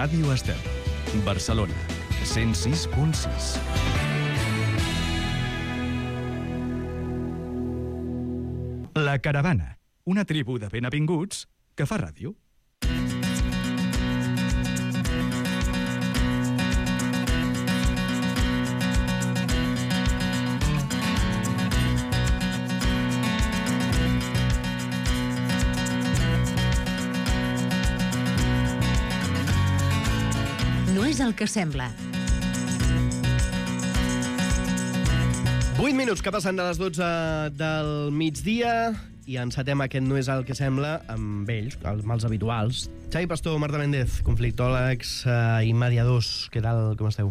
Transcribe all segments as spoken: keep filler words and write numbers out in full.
Ràdio Estel, Barcelona, cent sis punt sis. La Caravana, una tribu de benavinguts que fa ràdio. No és el que sembla. vuit minuts que passen de les dotze del migdia i encetem aquest No és el que sembla amb ells, amb els habituals. Xavi Pastor, Marta Méndez, conflictòlegs eh, i mediadors. Què tal, com esteu?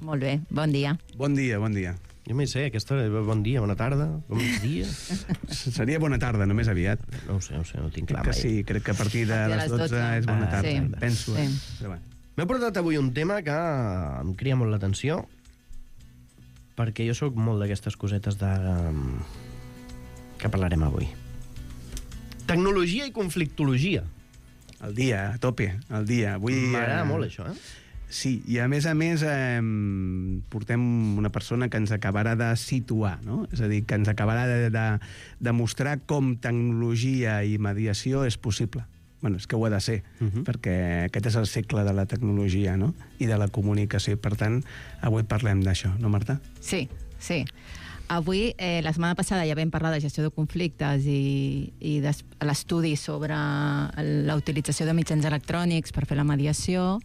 Molt bé, bon dia. Bon dia, bon dia. Jo m'hi sé, aquesta hora, bon dia, bona tarda, bon dia. Seria bona tarda, només aviat. No ho sé, no ho sé, no tinc clar Crec que mai. sí, crec que a partir de les dotze és bona tarda. sí. Penso, eh? Sí. Però bueno. M'he portat avui un tema que em cria molt l'atenció, perquè jo sóc molt d'aquestes cosetes de... que parlarem avui. Tecnologia i conflictologia. El dia, a tope, el dia. Avui, M'agrada eh, molt això, eh? Sí, i a més a més eh, portem una persona que ens acabarà de situar, no? És a dir, que ens acabarà de, de, de mostrar com tecnologia i mediació és possible. Bueno, és que ho ha de ser, uh -huh. perquè aquest és el segle de la tecnologia, no? I de la comunicació. Per tant, avui parlem d'això, no, Marta? Sí, sí. Avui, eh, la setmana passada ja vam parlar de gestió de conflictes i, i de l'estudi sobre la utilització de mitjans electrònics per fer la mediació.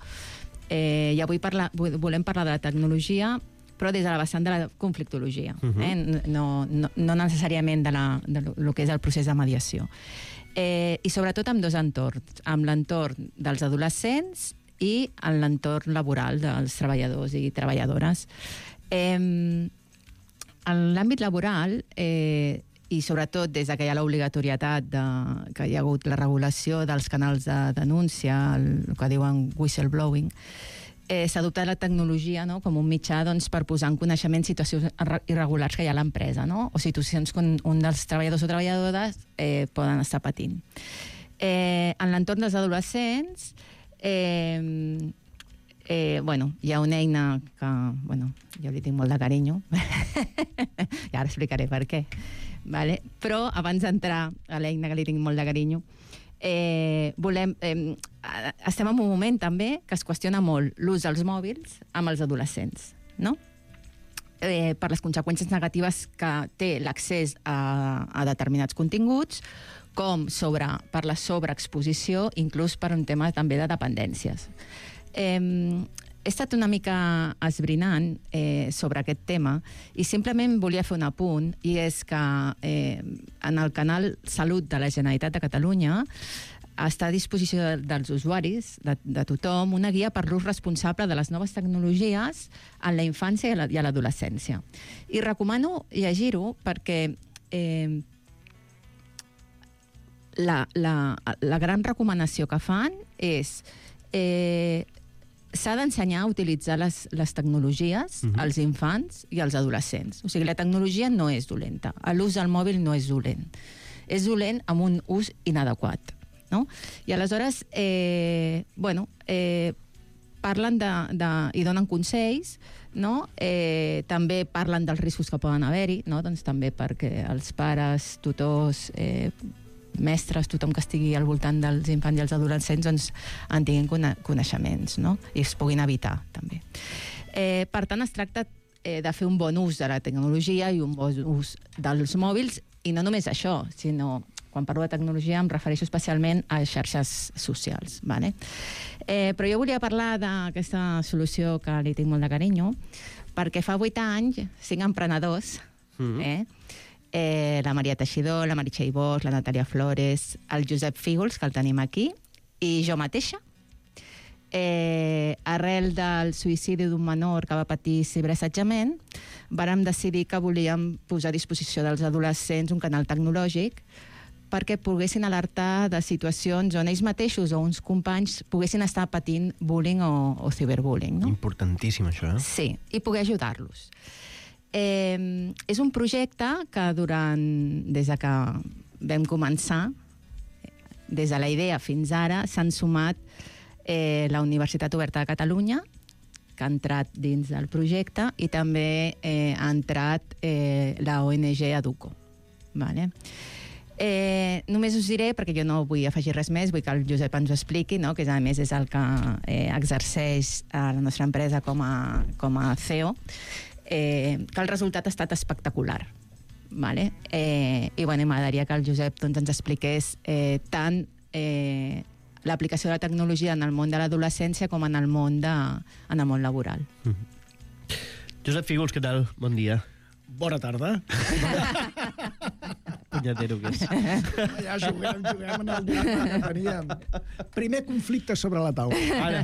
Eh, I avui parla, volem parlar de la tecnologia, però des de la vessant de la conflictologia, uh -huh. eh? no, no, no necessàriament de, la, de lo que és el procés de mediació. Eh, I sobretot amb dos entorns, amb l'entorn dels adolescents i en l'entorn laboral dels treballadors i treballadores. Eh, en l'àmbit laboral, eh, i sobretot des de que hi ha l'obligatorietat de, que hi ha hagut la regulació dels canals de denúncia, el, el que diuen whistleblowing, eh, s'ha adoptat la tecnologia, no?, com un mitjà, doncs, per posar en coneixement situacions irregulars que hi ha a l'empresa, no?, o situacions que un, un dels treballadors o treballadores eh, poden estar patint. Eh, en l'entorn dels adolescents, eh, eh, bueno, hi ha una eina que, bueno, jo li tinc molt de carinyo, i ara explicaré per què, vale? Però abans d'entrar a l'eina que li tinc molt de carinyo, Eh, volem, eh, estem en un moment també que es qüestiona molt l'ús dels mòbils amb els adolescents, no? Eh, per les conseqüències negatives que té l'accés a, a determinats continguts, com sobre, per la sobreexposició, inclús per un tema també de dependències. Eh, he estat una mica esbrinant eh, sobre aquest tema i simplement volia fer un apunt, i és que eh, en el canal Salut de la Generalitat de Catalunya està a disposició de, dels usuaris, de, de tothom, una guia per l'ús responsable de les noves tecnologies en la infància i a l'adolescència. I recomano llegir-ho perquè eh, la, la, la gran recomanació que fan és... Eh, s'ha d'ensenyar a utilitzar les, les tecnologies uh-huh. als infants i als adolescents. O sigui, la tecnologia no és dolenta. L'ús del mòbil no és dolent. És dolent amb un ús inadequat, no? I aleshores, eh, bueno, eh, parlen de, de, i donen consells, no? Eh, també parlen dels riscos que poden haver-hi, no? Doncs també perquè els pares, tutors, eh, mestres, tothom que estigui al voltant dels infants i els adolescents, doncs en tinguin coneixements, no? I es puguin evitar, també. Eh, per tant, es tracta eh, de fer un bon ús de la tecnologia i un bon ús dels mòbils, i no només això, sinó, quan parlo de tecnologia em refereixo especialment a xarxes socials, vale? Eh, però jo volia parlar d'aquesta solució que li tinc molt de carinyo, perquè fa vuit anys, cinc emprenedors, mm-hmm. eh, Eh, la Maria Teixidor, la Meritxell Bosch, la Natàlia Flores, el Josep Fígols, que el tenim aquí, i jo mateixa. Eh, arrel del suïcidi d'un menor que va patir ciberassetjament, vàrem decidir que volíem posar a disposició dels adolescents un canal tecnològic perquè poguessin alertar de situacions on ells mateixos o uns companys poguessin estar patint bullying o, o ciberbullying, no? Importantíssim, això, eh? Sí, i poder ajudar-los. Eh, és un projecte que durant, des de que vam començar, des de la idea fins ara, s'han sumat eh, la Universitat Oberta de Catalunya, que ha entrat dins del projecte, i també eh, ha entrat eh, la O N G Educo. Vale? Eh, només us diré, perquè jo no vull afegir res més, vull que el Josep ens ho expliqui, no? Que a més és el que eh, exerceix a la nostra empresa com a, com a C E O, eh, que el resultat ha estat espectacular. Vale? Eh, I bueno, m'agradaria que el Josep doncs, ens expliqués eh, tant eh, l'aplicació de la tecnologia en el món de l'adolescència com en el món, de, en el món laboral. Mm-hmm. Josep Fígols, què tal? Bon dia. Bona tarda. Punyatero que és. Ja juguem, juguem en el drama que teníem. Primer conflicte sobre la taula. Ara,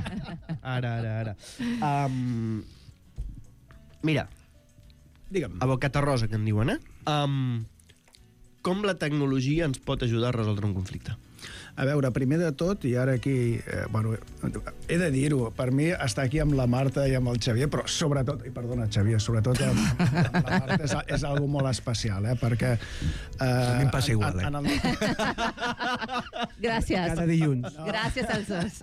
ara, ara. ara. Um, mira, Digue'm. a bocata rosa, que en diuen, eh? Um, com la tecnologia ens pot ajudar a resoldre un conflicte? A veure, primer de tot, i ara aquí, eh, bueno, he de dir-ho, per mi estar aquí amb la Marta i amb el Xavier, però sobretot, i perdona, Xavier, sobretot amb, amb la Marta és, és algo molt especial, eh, perquè... Eh, a mi em passa igual, eh? En, en el... Gràcies. Cada dilluns. No. Gràcies als dos.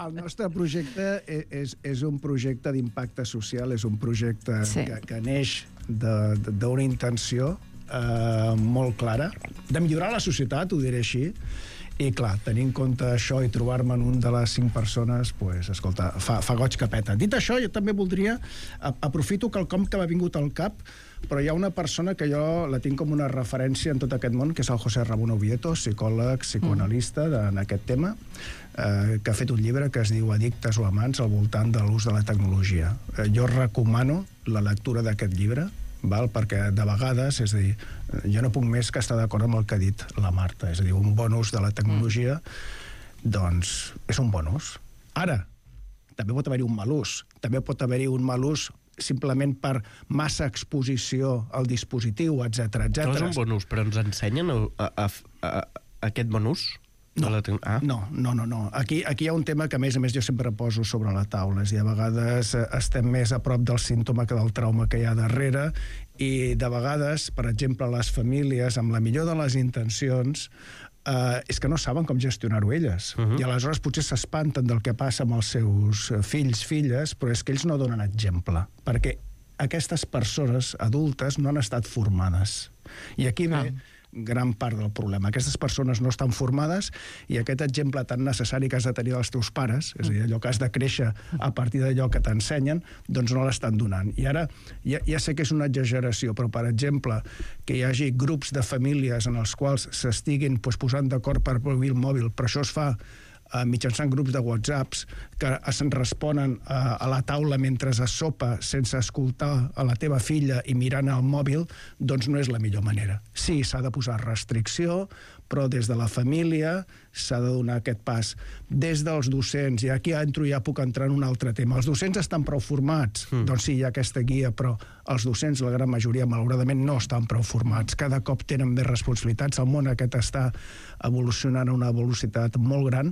El nostre projecte és, és un projecte d'impacte social, és un projecte sí. que, que neix d'una intenció eh, molt clara, de millorar la societat, ho diré així, i clar, tenir en compte això i trobar-me en un de les cinc persones, pues, escolta, fa, fa goig que peta. Dit això, jo també voldria, aprofito quelcom que m'ha vingut al cap, però hi ha una persona que jo la tinc com una referència en tot aquest món, que és el José Ramón Oviedo, psicòleg, psicoanalista de, en aquest tema, eh, que ha fet un llibre que es diu Addictes o amants al voltant de l'ús de la tecnologia. Eh, jo recomano la lectura d'aquest llibre, val? Perquè de vegades, és a dir, jo no puc més que estar d'acord amb el que ha dit la Marta, és a dir, un bon ús de la tecnologia, doncs és un bon ús. Ara, també pot haver-hi un mal ús, també pot haver-hi un mal ús simplement per massa exposició al dispositiu, etcètera, etcètera. No és un bon ús, però ens ensenyen a, a, a, a aquest bon ús? No, ah. no, no, no, no. Aquí, aquí hi ha un tema que, a més a més, jo sempre poso sobre la taula. És a dir, a vegades estem més a prop del símptoma que del trauma que hi ha darrere, i de vegades, per exemple, les famílies, amb la millor de les intencions, eh, és que no saben com gestionar-ho elles. Uh -huh. I aleshores potser s'espanten del que passa amb els seus fills, filles, però és que ells no donen exemple, perquè aquestes persones adultes no han estat formades. I aquí ve... Ah. gran part del problema. Aquestes persones no estan formades i aquest exemple tan necessari que has de tenir dels teus pares, és a dir, allò que has de créixer a partir d'allò que t'ensenyen, doncs no l'estan donant. I ara, ja, ja sé que és una exageració, però, per exemple, que hi hagi grups de famílies en els quals s'estiguin pues, posant d'acord per prohibir el mòbil, però això es fa Uh, mitjançant grups de whatsapps que es responen uh, a la taula mentre es sopa sense escoltar a la teva filla i mirant el mòbil, doncs no és la millor manera. Sí, s'ha de posar restricció, però des de la família s'ha de donar aquest pas. Des dels docents, i aquí entro, ja puc entrar en un altre tema. Els docents estan prou formats? Mm. Doncs sí, hi ha aquesta guia, però els docents, la gran majoria, malauradament, no estan prou formats. Cada cop tenen més responsabilitats. El món aquest està evolucionant a una velocitat molt gran.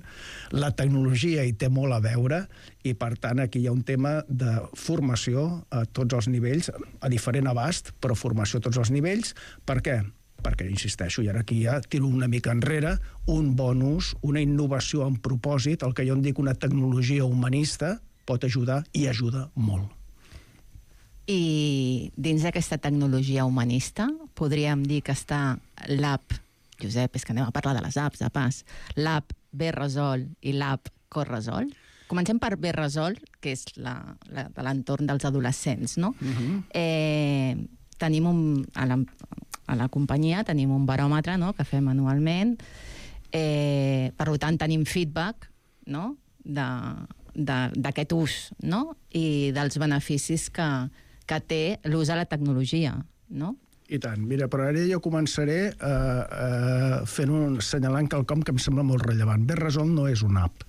La tecnologia hi té molt a veure i, per tant, aquí hi ha un tema de formació a tots els nivells, a diferent abast, però formació a tots els nivells. Per què? Perquè, insisteixo, i ara aquí ja tiro una mica enrere, un bon ús, una innovació amb propòsit, el que jo en dic una tecnologia humanista, pot ajudar i ajuda molt. I dins d'aquesta tecnologia humanista podríem dir que està l'app, Josep, és que anem a parlar de les apps, de pas, l'app B-Resol i l'app Corresol. Comencem per B-Resol, que és la, la, de l'entorn dels adolescents, no? Uh-huh. eh, tenim un... A la, a la companyia tenim un baròmetre, no?, que fem anualment. Eh, per tant, tenim feedback, no?, d'aquest ús, no?, i dels beneficis que, que té l'ús de la tecnologia, no? I tant. Mira, però ara jo començaré uh, uh, fent un, assenyalant quelcom que em sembla molt rellevant. B-Resol no és una app,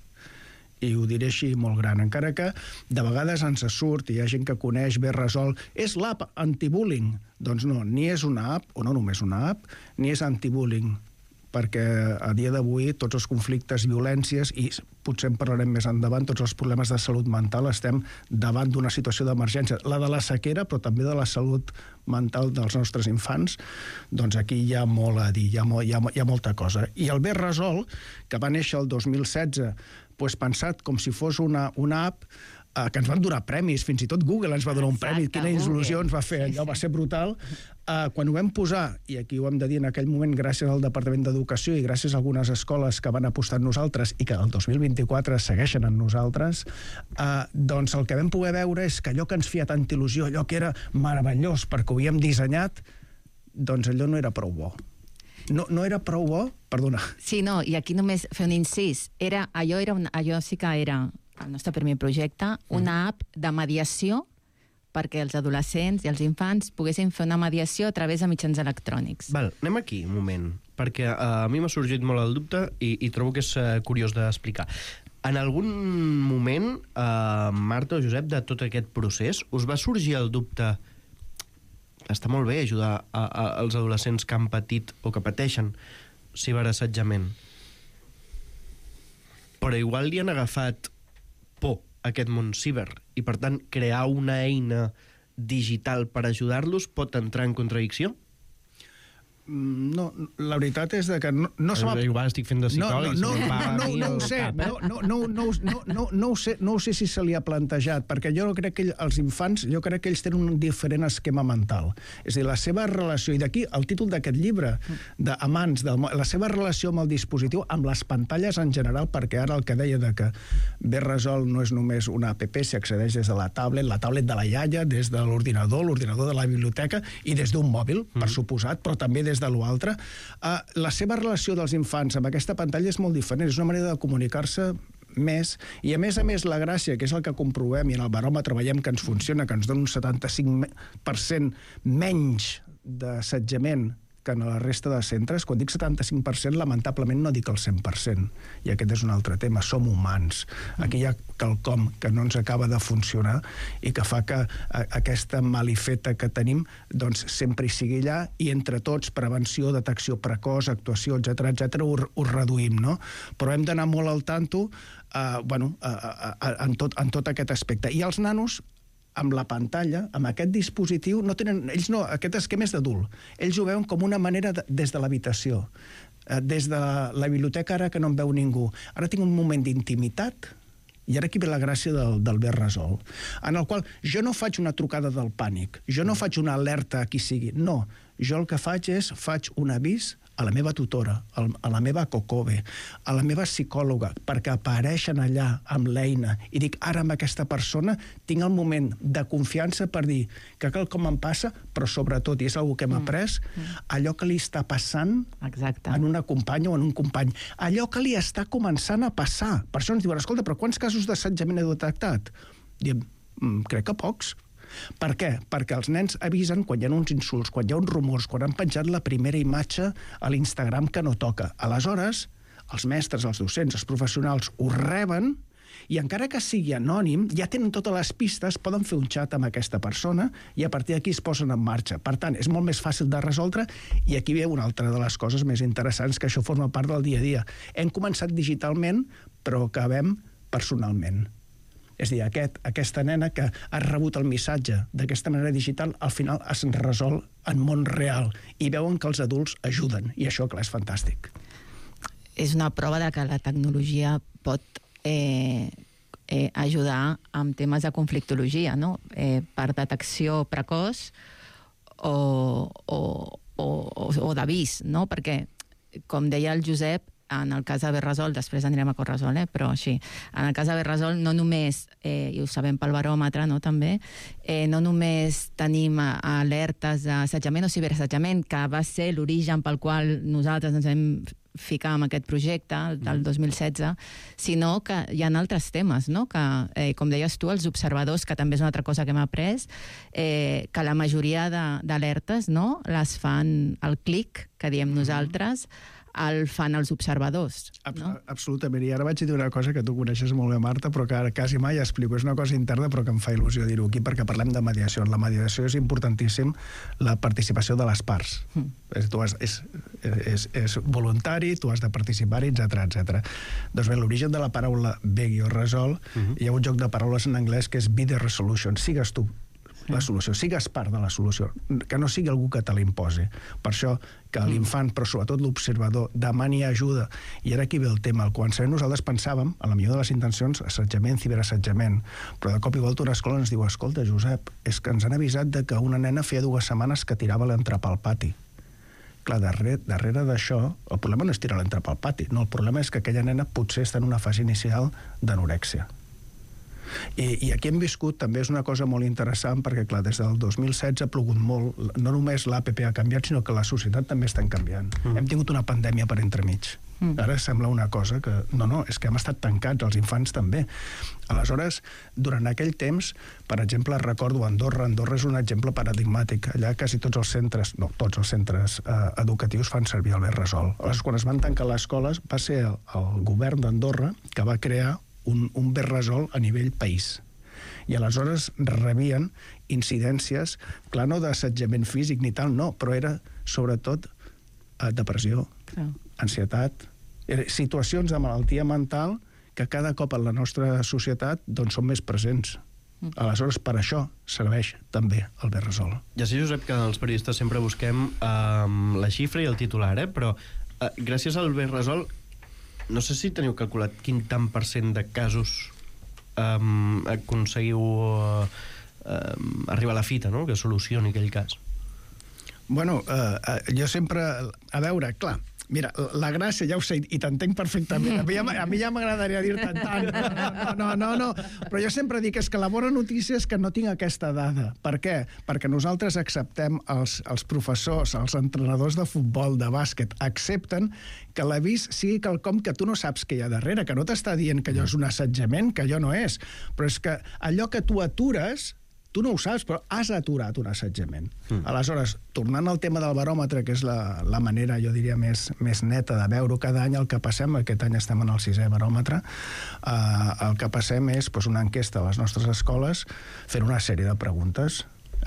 i ho diré així molt gran, encara que de vegades ens surt, i hi ha gent que coneix B-Resol, és l'app anti-bullying. Doncs no, ni és una app, o no només una app, ni és anti-bullying. perquè a dia d'avui tots els conflictes, violències, i potser en parlarem més endavant, tots els problemes de salut mental, estem davant d'una situació d'emergència. La de la sequera, però també de la salut mental dels nostres infants, doncs aquí hi ha molt a dir, hi ha, molt, hi ha, hi ha molta cosa. I el Bé Resol, que va néixer el dos mil setze, doncs pensat com si fos una, una app eh, que ens van donar premis, fins i tot Google ens va donar un premi, quina il·lusió ens va fer, allò va ser brutal. Uh, quan ho vam posar, i aquí ho hem de dir en aquell moment gràcies al Departament d'Educació i gràcies a algunes escoles que van apostar en nosaltres i que el dos mil vint-i-quatre segueixen en nosaltres, uh, doncs el que vam poder veure és que allò que ens feia tanta il·lusió, allò que era meravellós perquè ho havíem dissenyat, doncs allò no era prou bo. No, no era prou bo? Perdona. Sí, no, i aquí només fer un incís. Era, allò, era un, allò sí que era el nostre primer projecte, una app de mediació perquè els adolescents i els infants poguessin fer una mediació a través de mitjans electrònics. Val, anem aquí un moment, perquè uh, a mi m'ha sorgit molt el dubte i, i trobo que és uh, curiós d'explicar. En algun moment, uh, Marta o Josep, de tot aquest procés, us va sorgir el dubte està molt bé ajudar a, a, als adolescents que han patit o que pateixen ciberassetjament, però igual li han agafat por a aquest món ciber i, per tant, crear una eina digital per ajudar-los pot entrar en contradicció? No, la veritat és que no, no se m'ha... Igual estic fent de psicòleg. No, no, no, no, no ho sé, no, no, no, no, no, no, no, ho sé, no ho sé si se li ha plantejat, perquè jo crec que els infants, jo crec que ells tenen un diferent esquema mental. És a dir, la seva relació, i d'aquí el títol d'aquest llibre, d'Amants, la seva relació amb el dispositiu, amb les pantalles en general, perquè ara el que deia de que Bé Resol no és només una app, s'accedeix des de la tablet, la tablet de la iaia, des de l'ordinador, l'ordinador de la biblioteca i des d'un mòbil, per suposat, però també des de l'altre. Uh, la seva relació dels infants amb aquesta pantalla és molt diferent, és una manera de comunicar-se més, i a més a més la gràcia, que és el que comprovem i en el baròmetre veiem que ens funciona, que ens dona un setanta-cinc per cent menys d'assetjament que en la resta de centres. Quan dic setanta-cinc per cent, lamentablement no dic el cent per cent, i aquest és un altre tema, som humans. Aquí hi ha quelcom que no ens acaba de funcionar i que fa que aquesta malifeta que tenim doncs sempre hi sigui allà, i entre tots, prevenció, detecció precoç, actuació, etcètera, etcètera, ho, ho reduïm, no? Però hem d'anar molt al tanto eh, bueno, eh, eh, en, tot, en tot aquest aspecte. I els nanos, amb la pantalla, amb aquest dispositiu, no tenen, ells no, aquest esquema és d'adult. Ells ho veuen com una manera de, des de l'habitació, eh, des de la biblioteca, ara que no em veu ningú. Ara tinc un moment d'intimitat, i ara aquí ve la gràcia del, del Bé Resol, en el qual jo no faig una trucada del pànic, jo no faig una alerta a qui sigui, no. Jo el que faig és, faig un avís a la meva tutora, a la meva cocove, a la meva psicòloga, perquè apareixen allà amb l'eina i dic, ara amb aquesta persona tinc el moment de confiança per dir que quelcom em passa, però sobretot, i és una que hem après, mm. allò que li està passant Exacte. En una companya o en un company, allò que li està començant a passar. Per això ens diuen, escolta, però quants casos d'assetjament heu detectat? Diem, mm, crec que pocs. Per què? Perquè els nens avisen quan hi ha uns insults, quan hi ha uns rumors, quan han penjat la primera imatge a l'Instagram que no toca. Aleshores, els mestres, els docents, els professionals ho reben i encara que sigui anònim, ja tenen totes les pistes, poden fer un xat amb aquesta persona i a partir d'aquí es posen en marxa. Per tant, és molt més fàcil de resoldre i aquí ve una altra de les coses més interessants, que això forma part del dia a dia. Hem començat digitalment, però acabem personalment. És a dir, aquest, aquesta nena que ha rebut el missatge d'aquesta manera digital, al final es resol en món real i veuen que els adults ajuden, i això, clar, és fantàstic. És una prova de que la tecnologia pot eh, eh, ajudar amb temes de conflictologia, no? Eh, per detecció precoç o, o, o, o d'avís, no? Perquè, com deia el Josep, en el cas de Bé Resol, després anirem a Corresol, eh? Però sí, en el cas de Bé Resol no només, eh, i ho sabem pel baròmetre, no, també, eh, no només tenim alertes d'assetjament o ciberassetjament, que va ser l'origen pel qual nosaltres ens vam ficar en aquest projecte del dos mil setze, sinó que hi ha altres temes, no? Que, eh, com deies tu, els observadors, que també és una altra cosa que hem après, eh, que la majoria d'alertes, no?, les fan al clic, que diem nosaltres, el fan els observadors. No? Absolutament. I ara vaig dir una cosa que tu coneixes molt bé, Marta, però que ara quasi mai explico. És una cosa interna, però que em fa il·lusió dir-ho aquí, perquè parlem de mediació. En la mediació és importantíssim la participació de les parts. Mm. És, tu has, és, és, és voluntari, tu has de participar-hi, etcètera, etcètera. Doncs bé, l'origen de la paraula beg o resol, mm-hmm. hi ha un joc de paraules en anglès que és be the resolution, sigues tu la solució, sigues part de la solució, que no sigui algú que te l'imposi. Per això que l'infant, però sobretot l'observador, demani ajuda. I ara aquí ve el tema. Al començament nosaltres pensàvem, a la millor de les intencions, assetjament, ciberassetjament, però de cop i volta una escola ens diu, escolta, Josep, és que ens han avisat de que una nena feia dues setmanes que tirava l'entrepà al pati. Clar, darrere, darrere d'això, el problema no és tirar l'entrepà al pati, no, el problema és que aquella nena potser està en una fase inicial d'anorèxia. I, I aquí hem viscut, també és una cosa molt interessant, perquè, clar, des del dos mil setze ha plogut molt, no només l'A P P ha canviat, sinó que la societat també està canviant. Mm. Hem tingut una pandèmia per entremig. Mm. Ara sembla una cosa que... No, no, és que hem estat tancats, els infants també. Aleshores, durant aquell temps, per exemple, recordo Andorra. Andorra és un exemple paradigmàtic. Allà quasi tots els centres, no, tots els centres eh, educatius fan servir el Berresol. Aleshores, quan es van tancar les escoles, va ser el, el govern d'Andorra que va crear un, un Berresol a nivell país. I aleshores rebien incidències, clar, no d'assetjament físic ni tal, no, però era sobretot eh, depressió, clar. Ansietat, situacions de malaltia mental que cada cop en la nostra societat doncs, són més presents. Mm. Aleshores, per això serveix també el Berresol. Ja sé, Josep, que els periodistes sempre busquem eh, la xifra i el titular, eh? Però eh, gràcies al Berresol no sé si teniu calculat quin tant per cent de casos um, aconseguiu uh, uh, arribar a la fita, no?, que solucioni aquell cas. Bueno, uh, uh, jo sempre... A veure, clar, mira, la gràcia, ja ho sé, i t'entenc perfectament. A mi ja, a mi ja m'agradaria dir-te tant. No, no, no, no, però jo sempre dic és que la bona notícia és que no tinc aquesta dada. Per què? Perquè nosaltres acceptem, els, els professors, els entrenadors de futbol, de bàsquet, accepten que l'avís sigui quelcom que tu no saps que hi ha darrere, que no t'està dient que allò és un assetjament, que allò no és, però és que allò que tu atures... Tu no ho saps, però has aturat un assetjament. Mm. Aleshores, tornant al tema del baròmetre, que és la, la manera, jo diria, més, més neta de veure cada any el que passem, aquest any estem en el sisè baròmetre, eh, el que passem és doncs, una enquesta a les nostres escoles fent una sèrie de preguntes.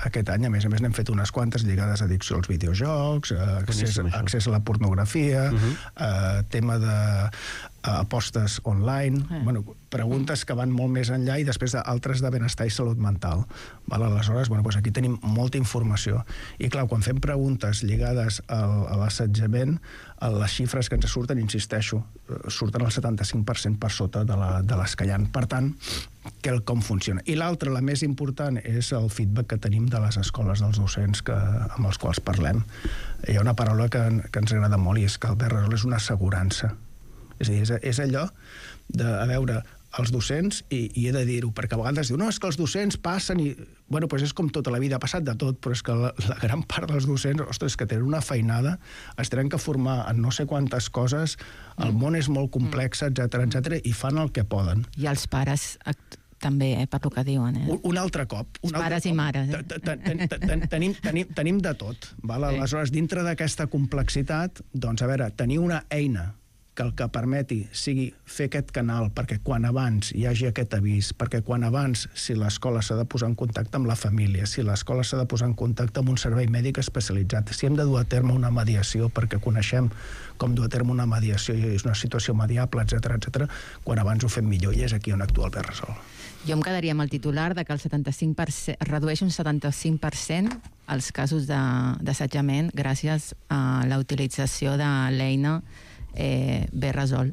Aquest any, a més a més, n'hem fet unes quantes lligades a addicció als videojocs, eh, accés, accés a la pornografia, uh-huh. eh, tema de eh, apostes online, eh. bueno, preguntes que van molt més enllà i després d'altres de benestar i salut mental. Val? Aleshores, bueno, doncs aquí tenim molta informació. I clar, quan fem preguntes lligades al, a l'assetjament, les xifres que ens surten, insisteixo, surten el setanta-cinc per cent per sota de, la, de les que hi ha. Per tant, quelcom funciona. I l'altra, la més important, és el feedback que tenim de les escoles, dels docents que, amb els quals parlem. Hi ha una paraula que, que ens agrada molt i és que el Berresol és una assegurança. És a dir, és, és allò de, a veure, els docents, i, i he de dir-ho, perquè a vegades diu, no, és que els docents passen i... Bueno, doncs és com tota la vida, ha passat de tot, però és que la, la gran part dels docents, ostres, que tenen una feinada, es tenen que formar en no sé quantes coses, el món és molt complex, etcètera, etcètera, i fan el que poden. I els pares també, eh, per lo que diuen. Eh? Un, un altre cop. Un els pares i mares. Eh? Tenim, tenim, tenim de tot. Val? Aleshores, dintre d'aquesta complexitat, doncs, a veure, tenir una eina que el que permeti sigui fer aquest canal perquè quan abans hi hagi aquest avís, perquè quan abans, si l'escola s'ha de posar en contacte amb la família, si l'escola s'ha de posar en contacte amb un servei mèdic especialitzat, si hem de dur a terme una mediació perquè coneixem com dur a terme una mediació i és una situació mediable, etcètera, etcètera, quan abans ho fem millor i és aquí on actua el Berresol. Jo em quedaria amb el titular de que el setanta-cinc per cent, redueix un setanta-cinc per cent els casos d'assetjament gràcies a la utilització de l'eina Eh, Berresol.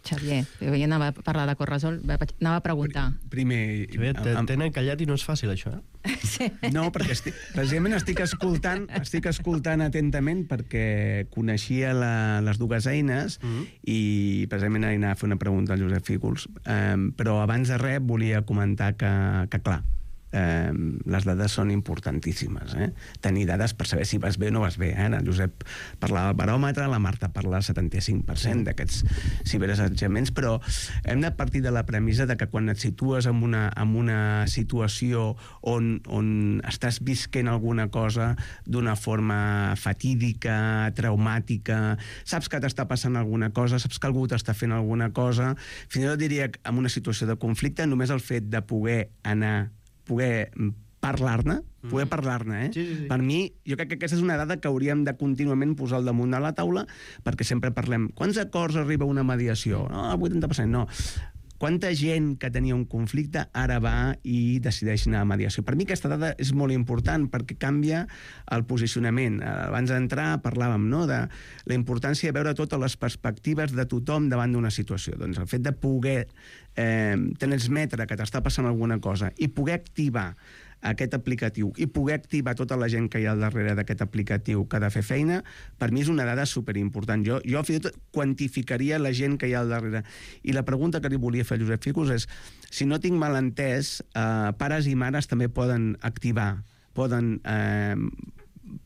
Xavier, jo anava a parlar de Corresol, anava a preguntar. Primer... Tenen callat i no és fàcil, això, eh? Sí. No, perquè estic, precisament estic escoltant, estic escoltant atentament perquè coneixia la, les dues eines mm-hmm. i precisament anava a fer una pregunta al Josep Fígols, um, però abans de res volia comentar que, que clar, eh, les dades són importantíssimes. Eh? Tenir dades per saber si vas bé o no vas bé. Eh? El Josep parlava del baròmetre, la Marta parla del setanta-cinc per cent d'aquests ciberassetjaments, però hem de partir de la premissa de que quan et situes en una, en una situació on, on estàs visquent alguna cosa d'una forma fatídica, traumàtica, saps que t'està passant alguna cosa, saps que algú t'està fent alguna cosa, fins i tot diria que en una situació de conflicte, només el fet de poder anar poder parlar-ne, poder parlar-ne, eh? Sí, sí, sí. Per mi, jo crec que aquesta és una dada que hauríem de contínuament posar al damunt de la taula, perquè sempre parlem, quants acords arriba una mediació? No, el vuitanta per cent, no. Quanta gent que tenia un conflicte ara va i decideix anar a mediació? Per mi aquesta dada és molt important perquè canvia el posicionament. Abans d'entrar parlàvem, no?, de la importància de veure totes les perspectives de tothom davant d'una situació. Doncs el fet de poder eh, transmetre que t'està passant alguna cosa i poder activar aquest aplicatiu i poder activar tota la gent que hi ha al darrere d'aquest aplicatiu que ha de fer feina, per mi és una dada superimportant. Jo, jo fins i tot quantificaria la gent que hi ha al darrere. I la pregunta que li volia fer a Josep Ficus és, si no tinc mal entès, eh, pares i mares també poden activar, poden eh,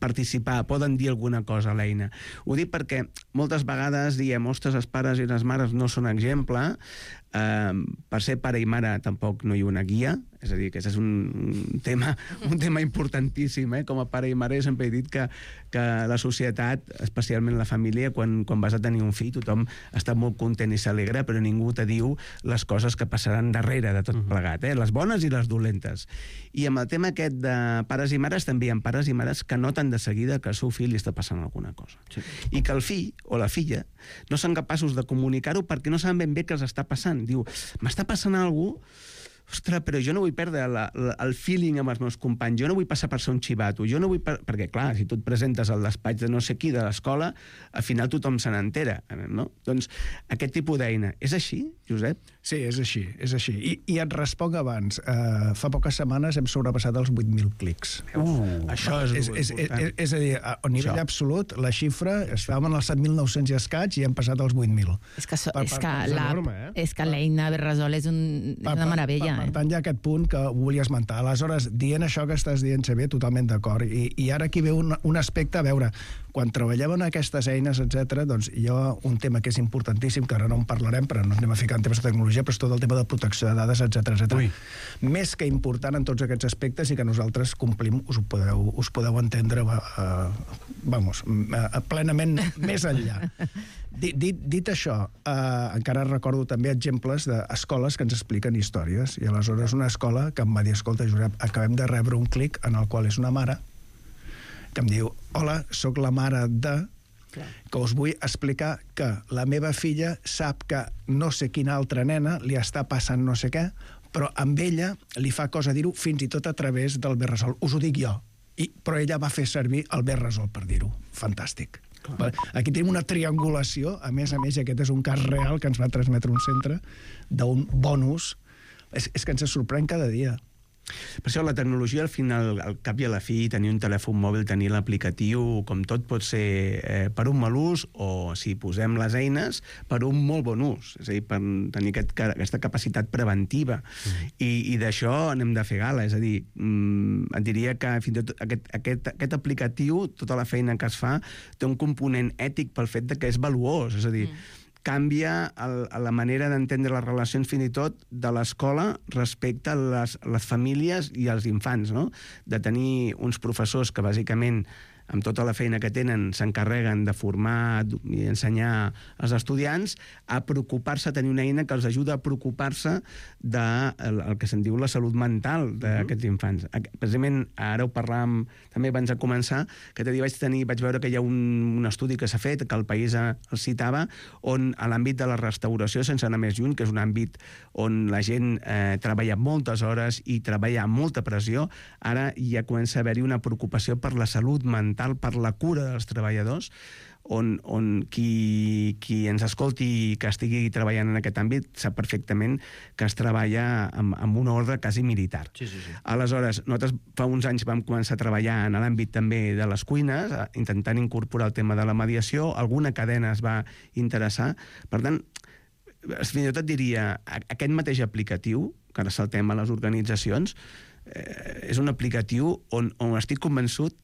participar, poden dir alguna cosa a l'eina. Ho dic perquè moltes vegades diem, ostres, els pares i les mares no són exemple, eh, per ser pare i mare tampoc no hi ha una guia, és a dir, que és un tema, un tema importantíssim, eh? Com a pare i mare sempre he dit que, que la societat, especialment la família, quan, quan vas a tenir un fill, tothom està molt content i s'alegra, però ningú te diu les coses que passaran darrere de tot plegat, eh? Les bones i les dolentes. I amb el tema aquest de pares i mares, també hi ha pares i mares que noten de seguida que el seu fill li està passant alguna cosa. Sí. I que el fill o la filla no són capaços de comunicar-ho perquè no saben ben bé què els està passant. Diu, m'està passant alguna cosa, ostres, però jo no vull perdre la, la, el feeling amb els meus companys, jo no vull passar per ser un xivato, jo no vull... Per... Perquè, clar, si tu et presentes al despatx de no sé qui de l'escola, al final tothom se n'entera, no? Doncs aquest tipus d'eina. És així, Josep? Sí, és així, és així. I, i et responc abans. Uh, fa poques setmanes hem sobrepassat els vuit mil clics. Uh, això és, és, és, és, és, és a dir, a nivell això. absolut, la xifra, estàvem en els set mil nou-cents i escaig i hem passat els vuit mil. És que, so, per, és per, que, és la, enorme, eh? és que l'eina Berresol és, un, és una meravella. Per, per, per tant, hi ha aquest punt que volia esmentar. Aleshores, dient això que estàs dient, Xavier, totalment d'acord. I, I ara aquí ve un, un aspecte, a veure, quan treballem en aquestes eines, etcètera, doncs hi ha un tema que és importantíssim, que ara no en parlarem, però no anem a ficar en temes de tecnologia, però és tot el tema de protecció de dades, etcètera, etcètera. Més que important en tots aquests aspectes i que nosaltres complim, us ho podeu, us podeu entendre uh, vamos, uh, plenament més enllà. Dit, dit, dit això, uh, encara recordo també exemples d'escoles que ens expliquen històries, i aleshores una escola que em va dir, escolta, Josep, acabem de rebre un clic en el qual és una mare que em diu, hola, sóc la mare de... que us vull explicar que la meva filla sap que no sé quina altra nena li està passant no sé què, però amb ella li fa cosa dir-ho fins i tot a través del Berresol. Us ho dic jo. I, però ella va fer servir el Berresol per dir-ho. Fantàstic. Clar. Aquí tenim una triangulació, a més a més, i aquest és un cas real que ens va transmetre un centre, d'un bon ús. És, és que ens sorprèn cada dia. Per això la tecnologia, al final, al cap i a la fi, tenir un telèfon mòbil, tenir l'aplicatiu, com tot pot ser eh, per un mal ús o, si posem les eines, per un molt bon ús. És a dir, per tenir aquest, aquesta capacitat preventiva. Mm. I, i d'això n'hem de fer gala. És a dir, mm, et diria que fins i tot aquest, aquest, aquest aplicatiu, tota la feina que es fa, té un component ètic pel fet de que és valuós. És a dir, mm. canvia el, la manera d'entendre les relacions fins i tot de l'escola respecte a les, les famílies i als infants, no? De tenir uns professors que bàsicament amb tota la feina que tenen, s'encarreguen de formar i ensenyar als estudiants a preocupar-se, a tenir una eina que els ajuda a preocupar-se de el, el que se'n diu la salut mental d'aquests infants. Precisament, ara ho parlàvem també abans de començar, que t'he dit, vaig, tenir, vaig veure que hi ha un, un estudi que s'ha fet, que el País el citava, on a l'àmbit de la restauració, sense anar més lluny, que és un àmbit on la gent eh, treballa moltes hores i treballa amb molta pressió, ara ja comença a haver-hi una preocupació per la salut mental, per la cura dels treballadors, on, on qui, qui ens escolti i que estigui treballant en aquest àmbit sap perfectament que es treballa amb, amb un ordre quasi militar. Sí, sí, sí. Aleshores, nosaltres fa uns anys vam començar a treballar en l'àmbit també de les cuines, intentant incorporar el tema de la mediació, alguna cadena es va interessar. Per tant, fins i tot et diria, aquest mateix aplicatiu, que ara saltem a les organitzacions, eh, és un aplicatiu on, on estic convençut,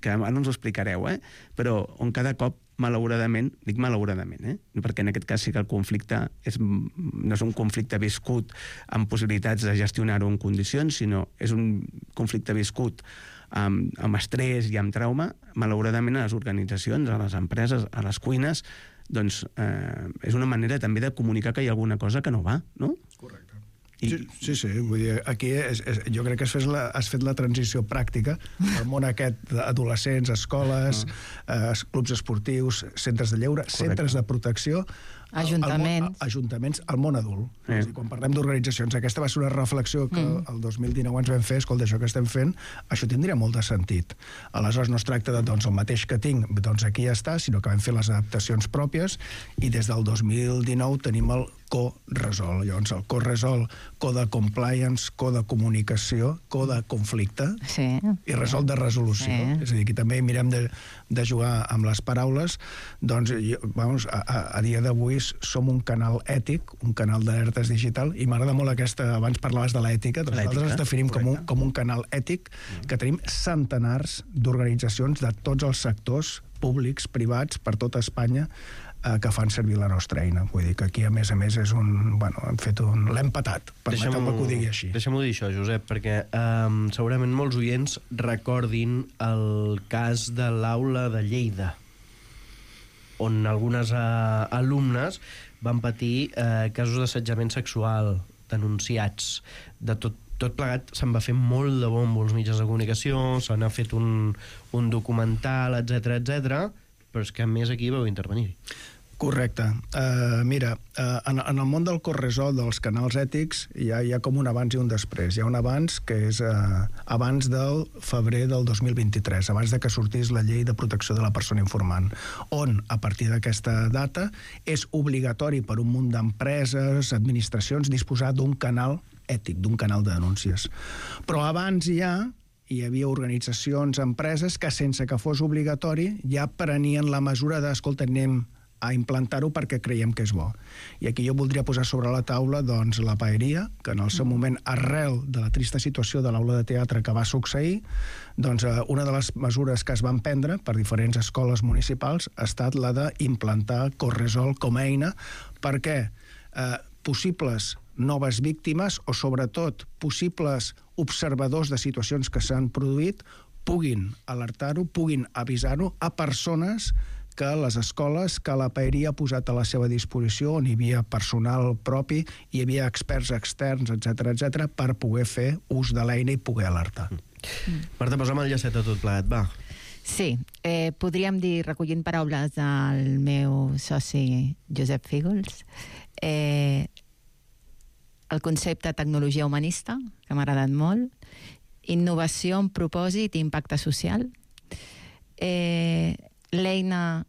que ara ens ho explicareu, eh? Però on cada cop, malauradament, dic malauradament, eh? Perquè en aquest cas sí que el conflicte és, no és un conflicte viscut amb possibilitats de gestionar-ho en condicions, sinó és un conflicte viscut amb, amb estrès i amb trauma, malauradament a les organitzacions, a les empreses, a les cuines, doncs eh, és una manera també de comunicar que hi ha alguna cosa que no va, no? Correcte. I... Sí, sí, sí, vull dir, aquí és, és, jo crec que has fet, la, has fet la transició pràctica al món aquest d'adolescents, escoles, ah. eh, clubs esportius, centres de lleure, Correcte. Centres de protecció, ajuntaments, el, el, ajuntaments, el món adult. Eh. És dir, quan parlem d'organitzacions, aquesta va ser una reflexió que mm. el dos mil dinou ens vam fer, escolta, això que estem fent, això tindria molt de sentit. Aleshores no es tracta de, doncs, el mateix que tinc, doncs aquí ja està, sinó que vam fer les adaptacions pròpies i des del dos mil dinou tenim el co-resol. Llavors, el co-resol, co de compliance, co de comunicació, co de conflicte sí. i resol de resolució. Sí. És a dir, aquí també mirem de, de jugar amb les paraules. Doncs, vamos, a, a, a dia d'avui som un canal ètic, un canal d'alertes digital, i m'agrada molt aquesta, abans parlaves de l'ètica, doncs nosaltres ens definim com un, com un canal ètic que tenim centenars d'organitzacions de tots els sectors públics, privats, per tota Espanya, eh, que fan servir la nostra eina. Vull dir que aquí, a més a més, és un... Bueno, hem fet un... L'hem patat, permeteu-me que ho digui així. Deixem-ho dir això, Josep, perquè eh, segurament molts oients recordin el cas de l'aula de Lleida, on algunes eh, alumnes van patir eh, casos d'assetjament sexual denunciats. De tot, tot plegat se'n va fer molt de bombo als mitjans de comunicació, se n'ha fet un, un documental, etcètera, etcètera, però és que a més aquí vau intervenir. Correcte. Uh, mira, uh, en, en el món del corresol, dels canals ètics, hi ha, hi ha com un abans i un després. Hi ha un abans que és uh, abans del febrer del dos mil vint-i-tres, abans de que sortís la llei de protecció de la persona informant, on, a partir d'aquesta data, és obligatori per un munt d'empreses, administracions, disposar d'un canal ètic, d'un canal de denúncies. Però abans ja hi havia organitzacions, empreses, que sense que fos obligatori ja prenien la mesura de, escolta, anem a implantar-ho perquè creiem que és bo. I aquí jo voldria posar sobre la taula doncs, la paeria, que en el seu moment, arrel de la trista situació de l'aula de teatre que va succeir, doncs una de les mesures que es van prendre per diferents escoles municipals ha estat la d'implantar Corresol com a eina perquè eh, possibles noves víctimes o, sobretot, possibles observadors de situacions que s'han produït puguin alertar-ho, puguin avisar-ho a persones que les escoles, que la paeria ha posat a la seva disposició, on hi havia personal propi, hi havia experts externs, etcètera, etcètera, per poder fer ús de l'eina i poder alertar. Mm. Marta, posa'm el llacet a tot plegat, va. Sí, eh, podríem dir, recollint paraules del meu soci Josep Fígols, eh, el concepte tecnologia humanista, que m'ha agradat molt, innovació amb propòsit i impacte social, eh, l'eina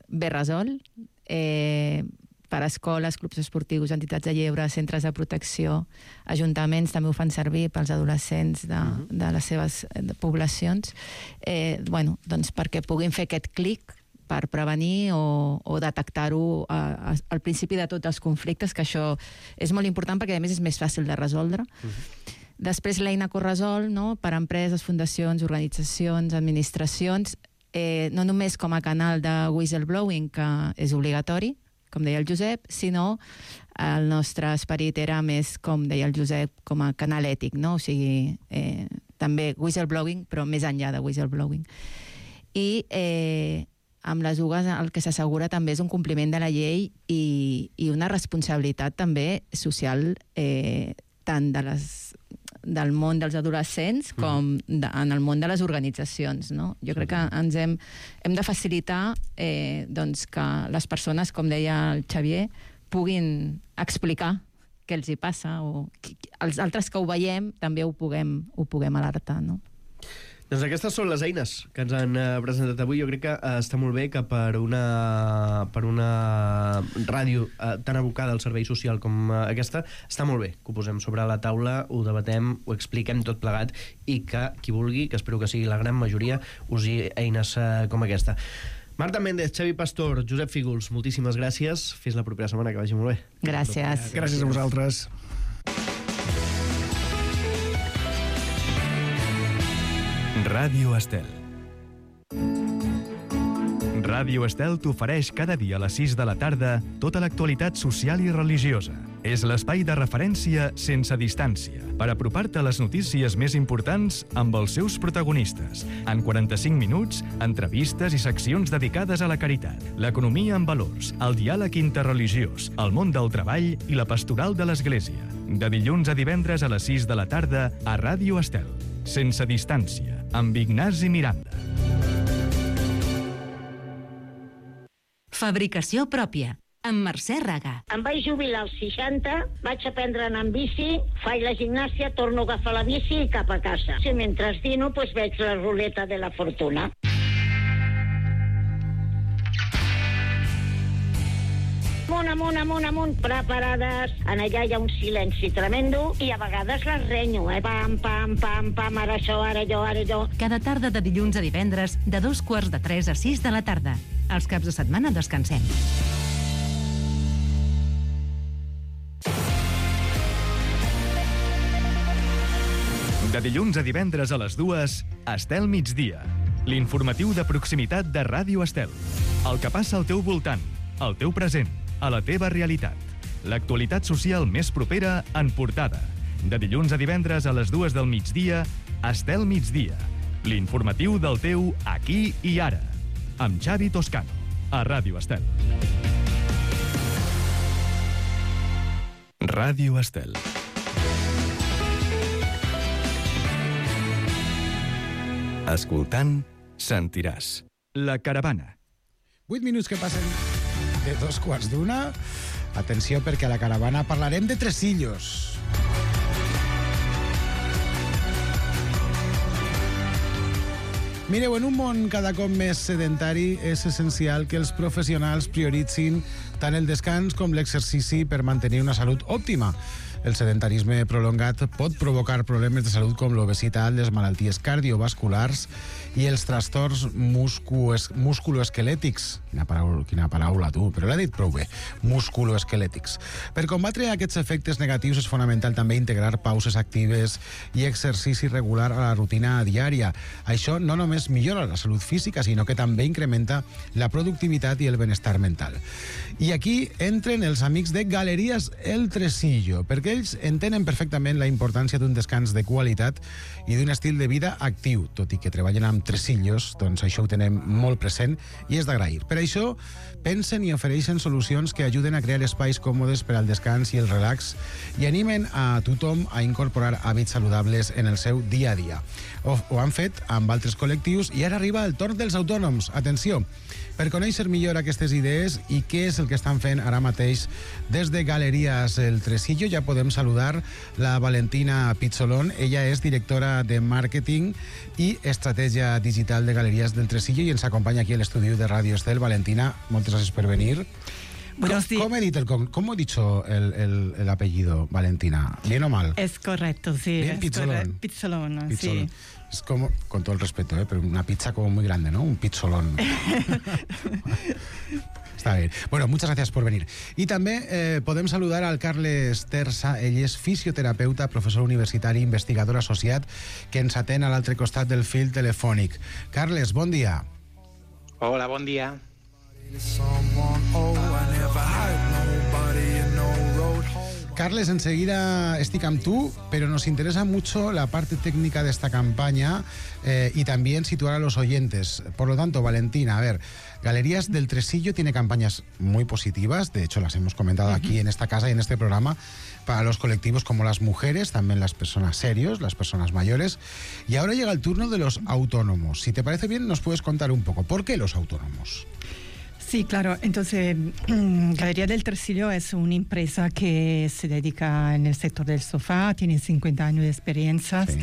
Berresol, eh, per escoles, clubs esportius, entitats de lleure, centres de protecció, ajuntaments també ho fan servir pels adolescents de, uh-huh. de les seves de poblacions, eh, bueno, doncs perquè puguin fer aquest clic per prevenir o, o detectar-ho a, a, al principi de tots els conflictes, que això és molt important perquè a més és més fàcil de resoldre. Uh-huh. Després l'eina Corresol, no?, per a empreses, fundacions, organitzacions, administracions, eh, no només com a canal de whistleblowing, que és obligatori, com deia el Josep, sinó el nostre esperit era més, com deia el Josep, com a canal ètic, no? O sigui, eh, també whistleblowing, però més enllà de whistleblowing. I eh, amb les U G A el que s'assegura també és un compliment de la llei i, i una responsabilitat també social eh, tant de les, del món dels adolescents com de, en el món de les organitzacions, no? Jo crec que ens hem, hem de facilitar eh, doncs que les persones, com deia el Xavier, puguin explicar què els hi passa, o els altres que ho veiem també ho puguem, ho puguem alertar, no? Doncs aquestes són les eines que ens han presentat avui. Jo crec que està molt bé que per una, per una ràdio tan abocada al servei social com aquesta, està molt bé que ho posem sobre la taula, ho debatem, ho expliquem tot plegat i que qui vulgui, que espero que sigui la gran majoria, usi eines com aquesta. Marta Méndez, Xavi Pastor, Josep Fígols, moltíssimes gràcies. Fins la propera setmana, que vagi molt bé. Gràcies. Gràcies a vosaltres. Ràdio Estel. Ràdio Estel t'ofereix cada dia a les sis de la tarda tota l'actualitat social i religiosa. És l'espai de referència sense distància per apropar-te a les notícies més importants amb els seus protagonistes. En quaranta-cinc minuts, entrevistes i seccions dedicades a la caritat, l'economia amb valors, el diàleg interreligiós, el món del treball i la pastoral de l'Església. De dilluns a divendres a les sis de la tarda a Ràdio Estel. Sense distància, amb Ignasi Miranda. Fabricació pròpia, amb Mercè Raga. Em vaig jubilar als seixanta, vaig aprendre a anar en bici, faig la gimnàsia, torno a agafar la bici i cap a casa. Si mentre dino, pues veig la ruleta de la fortuna. Amunt, amunt, amunt, amunt, preparades. En allà hi ha un silenci tremendo i a vegades les renyo, eh? Pam, pam, pam, pam, ara això, ara jo, ara jo. Cada tarda de dilluns a divendres, de dos quarts de tres a sis de la tarda. Els caps de setmana descansem. De dilluns a divendres a les dues, Estel Migdia. L'informatiu de proximitat de Ràdio Estel. El que passa al teu voltant, al teu present, a la teva realitat. L'actualitat social més propera en portada. De dilluns a divendres a les dues del migdia, Estel Migdia. L'informatiu del teu aquí i ara. Amb Xavi Toscano, a Ràdio Estel. Ràdio Estel. Escoltant, sentiràs. La caravana. Vuit minuts que passen de dos quarts d'una. Atenció, perquè a la caravana parlarem de tresillos. Mireu, en un món cada cop més sedentari és essencial que els professionals prioritzin tant el descans com l'exercici per mantenir una salut òptima. El sedentarisme prolongat pot provocar problemes de salut com l'obesitat, les malalties cardiovasculars i els trastorns musculoesquelètics. Quina paraula, quina paraula tu, però l'ha dit prou bé. Musculoesquelètics. Per combatre aquests efectes negatius és fonamental també integrar pauses actives i exercici regular a la rutina diària. Això no només millora la salut física, sinó que també incrementa la productivitat i el benestar mental. I aquí entren els amics de Galeries El Tresillo, perquè ells entenen perfectament la importància d'un descans de qualitat i d'un estil de vida actiu. Tot i que treballen amb tresillos, doncs això ho tenem molt present i és d'agrair. Per això pensen i ofereixen solucions que ajuden a crear espais còmodes per al descans i el relax i animen a tothom a incorporar hàbits saludables en el seu dia a dia. Ho, ho han fet amb altres col·lectius i ara arriba el torn dels autònoms. Atenció! Per conèixer millor aquestes idees i què és el que estan fent ara mateix des de Galeries El Tresillo, ja podem saludar la Valentina Pizzolón. Ella és directora de màrqueting i estratègia digital de Galeries del Tresillo i ens acompanya aquí a l'estudi de Ràdio Estel. Valentina, moltes gràcies per venir. Buenos días. ¿Cómo he dicho el, cómo he dicho el, el, el apellido, Valentina? ¿Bien o mal? Es correcto, sí. Bien, es Pizzolón. correcto. Pizzolón, Pizzolón. sí. Es como, con todo el respeto, ¿eh? Pero una pizza como muy grande, ¿no? Un pizzolón. Està bé. Bueno, muchas gracias por venir. I també eh, podem saludar al Carles Tersa. Ell és fisioterapeuta, professor universitari, investigador associat, que ens atén a l'altre costat del fil telefònic. Carles, bon dia. Hola, bon dia. Carles, enseguida estic amb tu, pero nos interesa mucho la parte técnica de esta campaña eh, y también situar a los oyentes. Por lo tanto, Valentina, a ver, Galerías del Tresillo tiene campañas muy positivas, de hecho las hemos comentado aquí en esta casa y en este programa, para los colectivos como las mujeres, también las personas serios, las personas mayores. Y ahora llega el turno de los autónomos. Si te parece bien, nos puedes contar un poco, ¿por qué los autónomos? Sí, claro. Entonces, Galería del Tresillo es una empresa que se dedica en el sector del sofá, tiene cincuenta años de experiencia sí.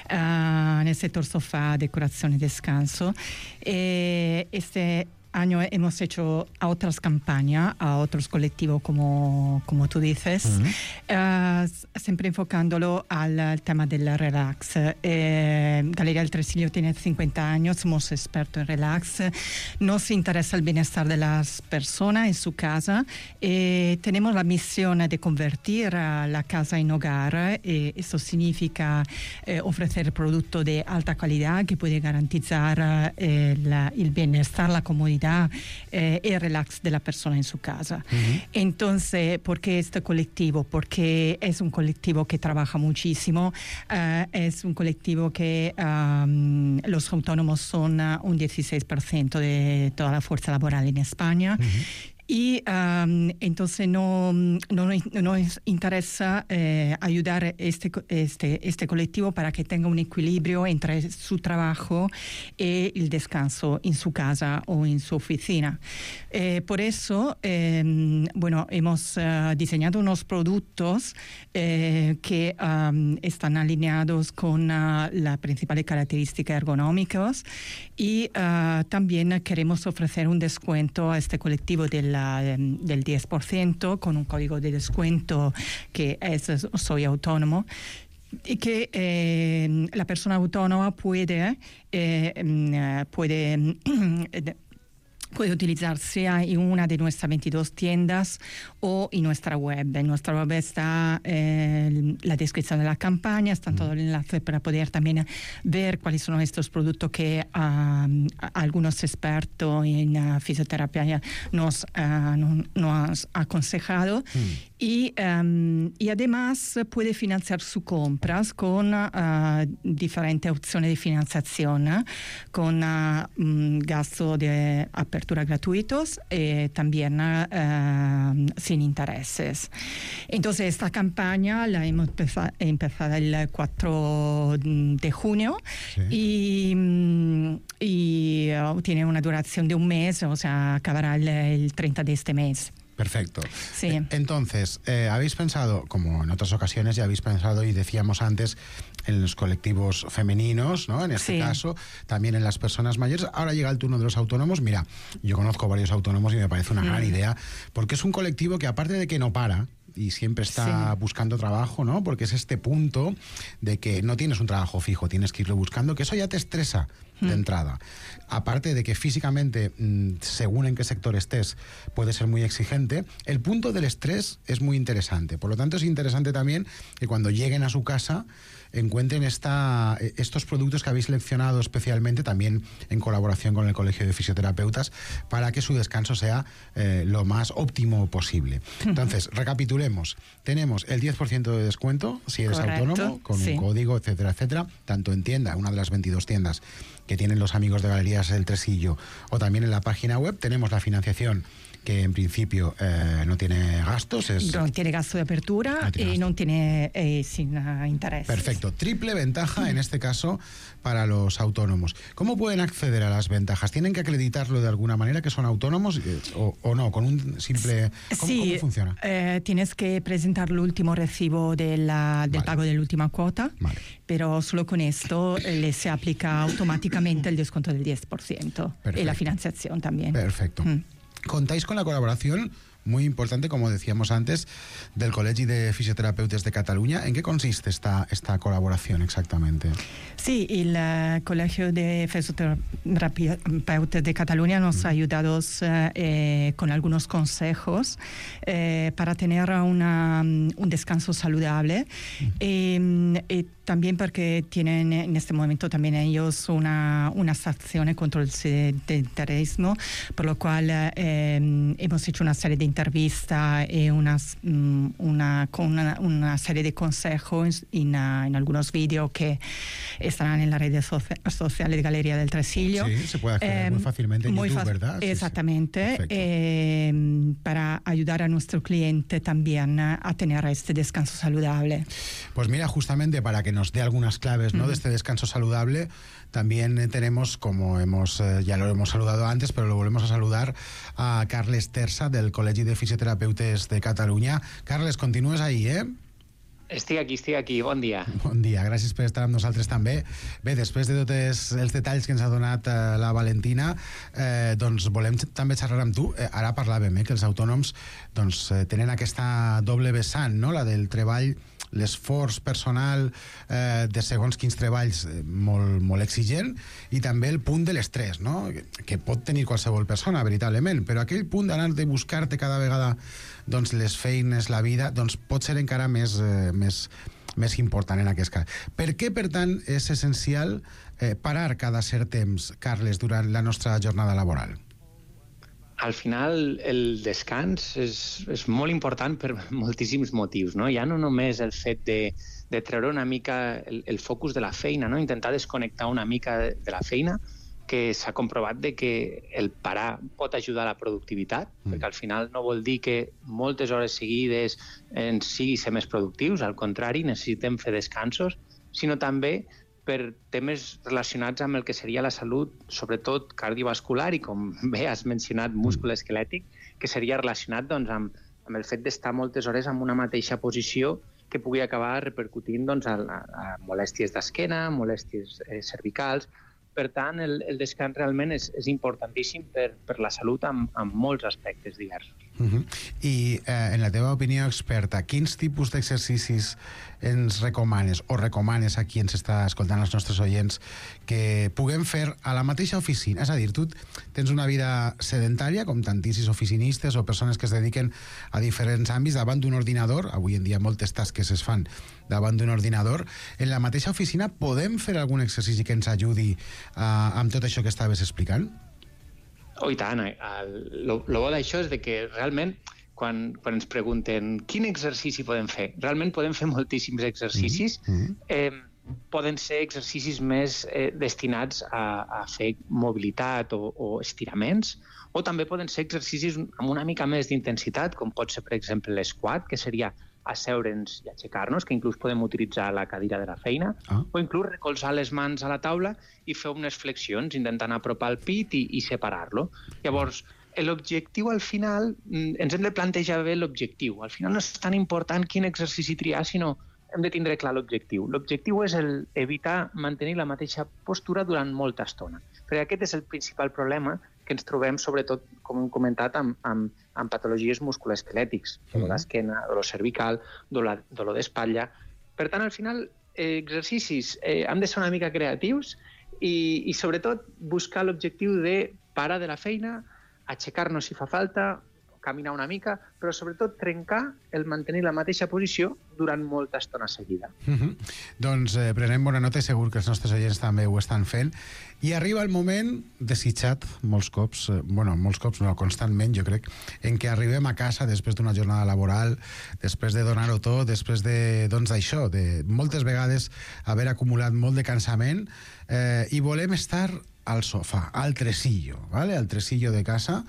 uh, en el sector sofá, decoración y descanso. Eh, este año hemos hecho a otras campañas, a otros colectivos, como, como tú dices, uh-huh. uh, siempre enfocándolo al, al tema del relax. Eh, Galería del Tresillo tiene cincuenta años, somos expertos en relax, nos interesa el bienestar de las personas en su casa. Eh, tenemos la misión de convertir a la casa en hogar. Eh, eso significa eh, ofrecer productos de alta calidad que puede garantizar eh, la, el bienestar, la comodidad eh, y el relax de la persona en su casa. Uh-huh. Entonces, ¿por qué este colectivo? Porque es un colectivo que trabaja muchísimo, uh, es un colectivo que um, los autónomos son uh, un dieciséis por ciento de toda la fuerza laboral en España. Uh-huh. Y um, entonces no, no, no nos interesa eh, ayudar este, este, este colectivo para que tenga un equilibrio entre su trabajo y el descanso en su casa o en su oficina. Eh, por eso, eh, bueno, hemos uh, diseñado unos productos eh, que um, están alineados con uh, las principales características ergonómicas y uh, también queremos ofrecer un descuento a este colectivo de la del diez por ciento con un código de descuento que es Soy Autónomo, y que eh, la persona autónoma puede eh, puede puede utilizarse en una de nuestras veintidós tiendas o en nuestra web. En nuestra web está eh, la descripción de la campaña, están todos los enlaces para poder también ver cuáles son estos productos que uh, algunos expertos en uh, fisioterapia nos, uh, no, nos han aconsejado. Mm. Y, um, y además puede financiar sus compras con uh, diferentes opciones de financiación, ¿eh? Con uh, um, gastos de apertura gratuitos y también uh, sin intereses. Entonces esta campaña la hemos empezado, empezado el cuatro de junio, sí. y, y uh, tiene una duración de un mes, o sea, acabará el, el treinta de este mes. Perfecto. Sí. Eh, entonces, eh, habéis pensado, como en otras ocasiones ya habéis pensado y decíamos antes, en los colectivos femeninos, ¿no? En este sí. caso, también en las personas mayores. Ahora llega el turno de los autónomos. Mira, yo conozco varios autónomos y me parece una mm. gran idea, porque es un colectivo que, aparte de que no para y siempre está sí. buscando trabajo, ¿no? Porque es este punto de que no tienes un trabajo fijo, tienes que irlo buscando, que eso ya te estresa de entrada. Aparte de que físicamente, según en qué sector estés, puede ser muy exigente, el punto del estrés es muy interesante. Por lo tanto, es interesante también que cuando lleguen a su casa encuentren esta, estos productos que habéis seleccionado especialmente, también en colaboración con el Colegio de Fisioterapeutas, para que su descanso sea eh, lo más óptimo posible. Entonces, recapitulemos. Tenemos el diez por ciento de descuento si eres Correcto, autónomo, con sí. un código, etcétera, etcétera, tanto en tienda, una de las veintidós tiendas que tienen los amigos de Galerías del Tresillo, o también en la página web. Tenemos la financiación, que en principio eh, no tiene gastos. Es... No tiene gasto de apertura no y no tiene eh, sin uh, interés. Perfecto. Triple ventaja, mm. en este caso, para los autónomos. ¿Cómo pueden acceder a las ventajas? ¿Tienen que acreditarlo de alguna manera que son autónomos eh, o, o no? ¿Con un simple...? ¿Cómo, sí, ¿cómo funciona? Eh, tienes que presentar el último recibo de la, del vale. pago de la última cuota, vale. pero solo con esto eh, le se aplica automáticamente el descuento del diez por ciento. Perfecto. Y la financiación también. Perfecto. Mm. Contáis con la colaboración muy importante, como decíamos antes, del Col·legi de Fisioterapeutes de Cataluña. ¿En qué consiste esta, esta colaboración exactamente? Sí, el uh, Colegio de Fisioterapeutas de Cataluña nos mm. ha ayudado eh, con algunos consejos eh, para tener una, un descanso saludable. Mm. Eh, eh, también porque tienen en este momento también ellos una, unas acciones contra el sedentarismo, por lo cual eh, hemos hecho una serie de entrevistas y unas, una, con una, una serie de consejos en, en algunos vídeos que estarán en las redes sociales de Galería del Tresillo. Sí, se puede acceder eh, muy fácilmente en muy YouTube, ¿verdad? Exactamente, sí, sí. Eh, para ayudar a nuestro cliente también a tener este descanso saludable. Pues mira, justamente para que nos dé algunas claves, ¿no? Uh-huh. de este descanso saludable, también eh, tenemos, como hemos eh, ya lo hemos saludado antes, pero lo volvemos a saludar, a Carles Tersa, del Col·legi de Fisioterapeutes de Cataluña. Carles, continúes ahí, ¿eh? Estic aquí, estic aquí. Bon dia. Bon dia, gràcies per estar amb nosaltres també. Bé, després de tots els detalls que ens ha donat eh, la Valentina, eh, doncs volem també xerrar amb tu. Eh, ara parlàvem eh, que els autònoms doncs, eh, tenen aquesta doble vessant, no? La del treball, l'esforç personal eh, de segons quins treballs eh, molt, molt exigent, i també el punt de l'estrès, no? Que, que pot tenir qualsevol persona, veritablement, però aquell punt d'anar de buscar-te cada vegada doncs, les feines, la vida, doncs pot ser encara més, eh, més, més important en aquest cas. Per què, per tant, és essencial eh, parar cada cert temps, Carles, durant la nostra jornada laboral? Al final, el descans és, és molt important per moltíssims motius, no? Ja no només el fet de, de treure una mica el, el focus de la feina, no? Intentar desconnectar una mica de, de la feina, que s'ha comprovat de que el parar pot ajudar a la productivitat, mm. perquè al final no vol dir que moltes hores seguides ens sigui ser més productius, al contrari, necessitem fer descansos, sinó també per temes relacionats amb el que seria la salut, sobretot cardiovascular i, com bé has mencionat, múscul-esquelètic, que seria relacionat doncs, amb, amb el fet d'estar moltes hores en una mateixa posició que pugui acabar repercutint doncs, a, a molèsties d'esquena, molèsties eh, cervicals. Per tant, el, el descans realment és, és importantíssim per, per la salut en, en molts aspectes diversos. Uh-huh. I eh, en la teva opinió experta, quins tipus d'exercicis ens recomanes o recomanes a qui ens està escoltant, els nostres oients, que puguem fer a la mateixa oficina? És a dir, tu tens una vida sedentària, com tantíssims oficinistes o persones que es dediquen a diferents àmbits davant d'un ordinador. Avui en dia moltes tasques es fan davant d'un ordinador. En la mateixa oficina podem fer algun exercici que ens ajudi uh, amb tot això que estaves explicant? Oh, i tant. El bo d'això és de que realment quan, quan ens pregunten quin exercici podem fer, realment podem fer moltíssims exercicis. Mm-hmm. Eh, poden ser exercicis més eh, destinats a, a fer mobilitat o, o estiraments, o també poden ser exercicis amb una mica més d'intensitat, com pot ser, per exemple, l'esquat, que seria asseure'ns i aixecar-nos, que inclús podem utilitzar la cadira de la feina, ah. o inclús recolzar les mans a la taula i fer unes flexions, intentant apropar el pit i, i separar-lo. Llavors, l'objectiu al final, ens hem de plantejar bé l'objectiu. Al final no és tan important quin exercici triar, sinó hem de tindre clar l'objectiu. L'objectiu és el evitar mantenir la mateixa postura durant molta estona. Perquè aquest és el principal problema que ens trobem, sobretot, com hem comentat, amb, amb, amb patologies musculoesquelètics, dolor d'esquena, dolor cervical, dolor, dolor d'espatlla. Per tant, al final, eh, exercicis eh, han de ser una mica creatius i, i sobretot, buscar l'objectiu de parar de la feina, aixecar-nos si fa falta, caminar una mica, però sobretot trencar el mantenir la mateixa posició durant molta estona seguida. Uh-huh. Doncs eh, prenem bona nota i segur que els nostres oients també ho estan fent. I arriba el moment desitjat molts cops, eh, bueno, molts cops no, constantment, jo crec, en què arribem a casa després d'una jornada laboral, després de donar-ho tot, després de, doncs, d'això, de moltes vegades haver acumulat molt de cansament, eh, i volem estar al sofà, al tresillo, ¿vale? Al tresillo de casa,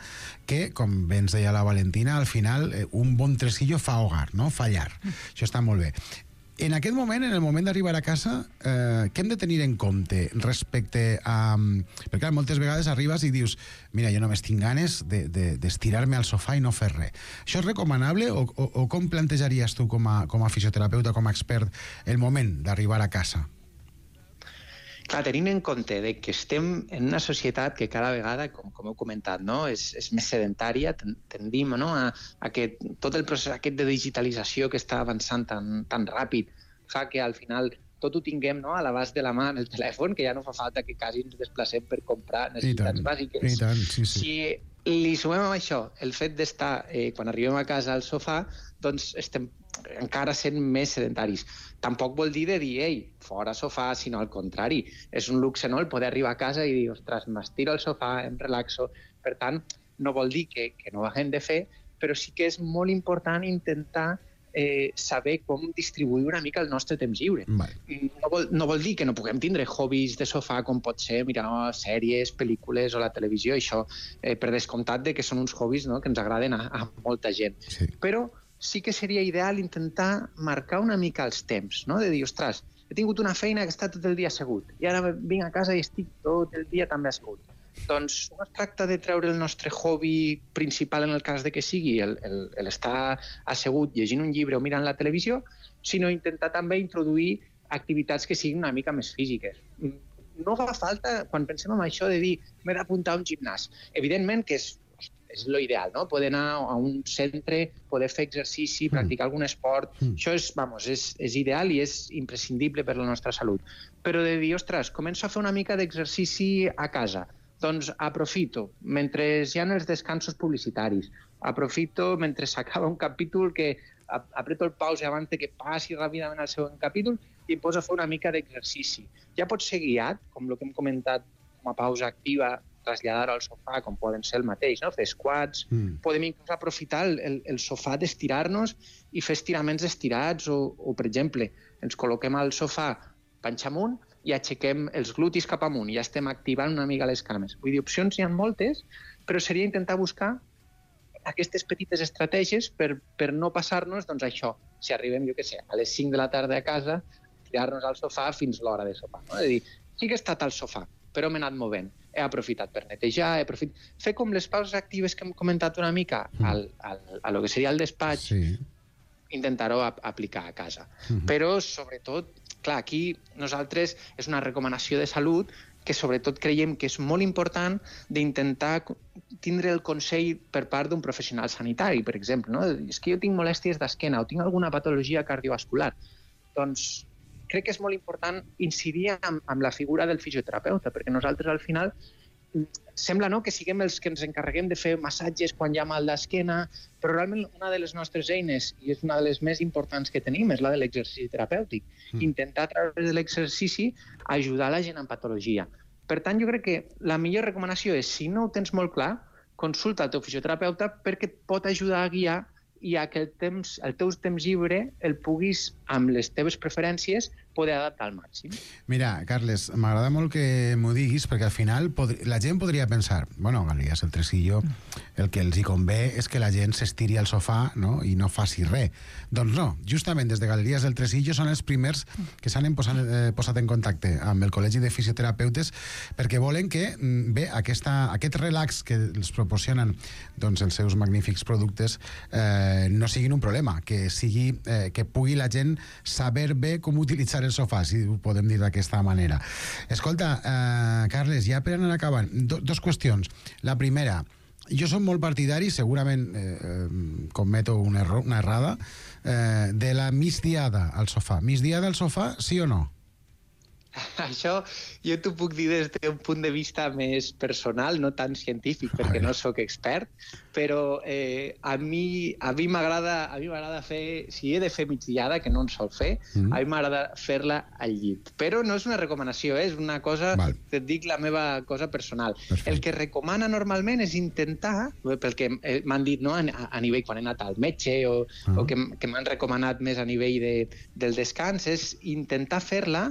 que, com bé ens deia la Valentina, al final eh, un bon tresillo fa hogar, no? Fa llar. Mm. Això està molt bé. En aquest moment, en el moment d'arribar a casa, eh, què hem de tenir en compte respecte a... Perquè clar, moltes vegades arribes i dius mira, jo només tinc ganes d'estirar-me de, de, al sofà i no fer res. Això és recomanable o, o, o com plantejaries tu com a, com a fisioterapeuta, com a expert, el moment d'arribar a casa? Clar, tenint en compte de que estem en una societat que cada vegada, com, com heu comentat, no? és, és més sedentària, tendim, no? a, a que tot el procés aquest de digitalització que està avançant tan, tan ràpid fa que al final tot ho tinguem, no? a l'abast de la mà en el telèfon, que ja no fa falta que quasi ens desplacem per comprar necessitats bàsiques. I tant, sí, sí. Si li sumem a això el fet d'estar, eh, quan arribem a casa al sofà, doncs estem encara sent més sedentaris. Tampoc vol dir de dir, ei, fora sofà, sinó al contrari. És un luxe, no?, el poder arribar a casa i dir, ostres, m'estiro al sofà, em relaxo. Per tant, no vol dir que, que no ho haguem de fer, però sí que és molt important intentar eh, saber com distribuir una mica el nostre temps lliure. Vale. No, vol, no vol dir que no puguem tindre hobbies de sofà, com pot ser mirar sèries, pel·lícules o la televisió, això eh, per descomptat de que són uns hobbies, no?, que ens agraden a, a molta gent. Sí. Però sí que seria ideal intentar marcar una mica els temps, no? De dir, ostres, he tingut una feina que està tot el dia assegut i ara vinc a casa i estic tot el dia també assegut. Doncs no es tracta de treure el nostre hobby principal en el cas de que sigui l'estar assegut llegint un llibre o mirant la televisió, sinó intentar també introduir activitats que siguin una mica més físiques. No fa falta, quan pensem en això, de dir m'he d'apuntar a un gimnàs. Evidentment que és, és l'ideal, no? Poder anar a un centre, poder fer exercici, practicar algun esport, mm. això és, vamos, és, és ideal i és imprescindible per la nostra salut. Però de dir, ostres, començo a fer una mica d'exercici a casa. Doncs aprofito, mentre hi ha els descansos publicitaris, aprofito mentre s'acaba un capítol que apreto el pause abans que passi ràpidament al següent capítol i em poso a fer una mica d'exercici. Ja pot ser guiat, com el que hem comentat com a pausa activa, traslladar-ho al sofà, com poden ser el mateix, no? Fer squats, mm. podem inclús aprofitar el, el, el sofà d'estirar-nos i fer estiraments estirats o, o, per exemple, ens col·loquem al sofà panxa amunt i aixequem els glutis cap amunt i ja estem activant una mica les cames. Vull dir, opcions n'hi ha moltes, però seria intentar buscar aquestes petites estratègies per, per no passar-nos, doncs això, si arribem, jo què sé, a les cinc de la tarda a casa, tirar-nos al sofà fins l'hora de sopar. No? És a dir, sí que he estat al sofà, però m'he anat movent. He aprofitat per netejar, he aprofitat... Fer com les pauses actives que hem comentat una mica al, al, a lo que seria el despatx, sí. Intentar-ho aplicar a casa. Uh-huh. Però, sobretot, clar, aquí nosaltres és una recomanació de salut que sobretot creiem que és molt important d'intentar tindre el consell per part d'un professional sanitari, per exemple. No? És que jo tinc molèsties d'esquena o tinc alguna patologia cardiovascular. Doncs crec que és molt important incidir amb, amb la figura del fisioterapeuta, perquè nosaltres al final sembla, no?, que siguem els que ens encarreguem de fer massatges quan hi ha mal d'esquena, però realment una de les nostres eines, i és una de les més importants que tenim, és la de l'exercici terapèutic. Mm. Intentar a través de l'exercici ajudar la gent amb patologia. Per tant, jo crec que la millor recomanació és, si no ho tens molt clar, consulta el teu fisioterapeuta perquè et pot ajudar a guiar i a que el, temps, el teu temps lliure el puguis, amb les teves preferències, poder adaptar al màxim. Mira, Carles, m'agrada molt que m'ho diguis, perquè al final podri... la gent podria pensar, bueno, Galeries el Tresillo, el que els hi convé és que la gent s'estiri al sofà, no?, i no faci res. Doncs no, justament des de Galeries del Tresillo són els primers que s'han posat, eh, posat en contacte amb el Col·legi de Fisioterapeutes perquè volen que, bé, aquesta, aquest relax que els proporcionen doncs, els seus magnífics productes eh, no siguin un problema, que, sigui, eh, que pugui la gent saber bé com utilitzar el sofà, si ho podem dir d'aquesta manera. Escolta, eh, Carles, ja per anar acabant, do, dos qüestions. La primera, jo som molt partidari, segurament eh, cometo una, erro, una errada, eh, de la migdiada al sofà. Migdiada al sofà, sí o no? Això jo t'ho puc dir des d'un punt de vista més personal, no tan científic, perquè no sóc expert, però eh, a mi a mi m'agrada a mi m'agrada fer, si he de fer migdiada, que no en sol fer, mm. a mi m'agrada fer-la al llit. Però no és una recomanació, eh? És una cosa, Val. que et dic la meva cosa personal. Perfecte. El que recomana normalment és intentar, pel que m'han dit, no, a, a nivell quan he anat al metge o, ah. o que, que m'han recomanat més a nivell de, del descans, és intentar fer-la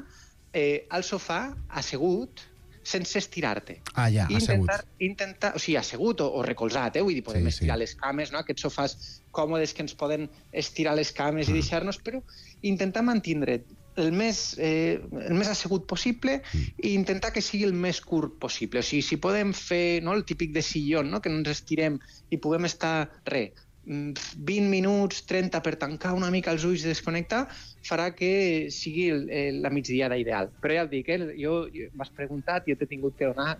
Eh, al sofà, assegut, sense estirar-te. Ah, ja, intentar, assegut. Intentar, o sigui, assegut o, o recolzat, eh? Vull dir, podem sí, estirar sí. les cames, no? Aquests sofàs còmodes que ens poden estirar les cames ah. i deixar-nos, però intentar mantindre el més, eh, el més assegut possible mm. i intentar que sigui el més curt possible. O sigui, si podem fer, no, el típic de sillón, no? Que no ens estirem i puguem estar, res, vint minuts, trenta per tancar una mica els ulls i desconnectar, farà que sigui el, el, la migdiada ideal. Però ja et dic, eh, jo, jo m'has preguntat, jo t'he tingut que donar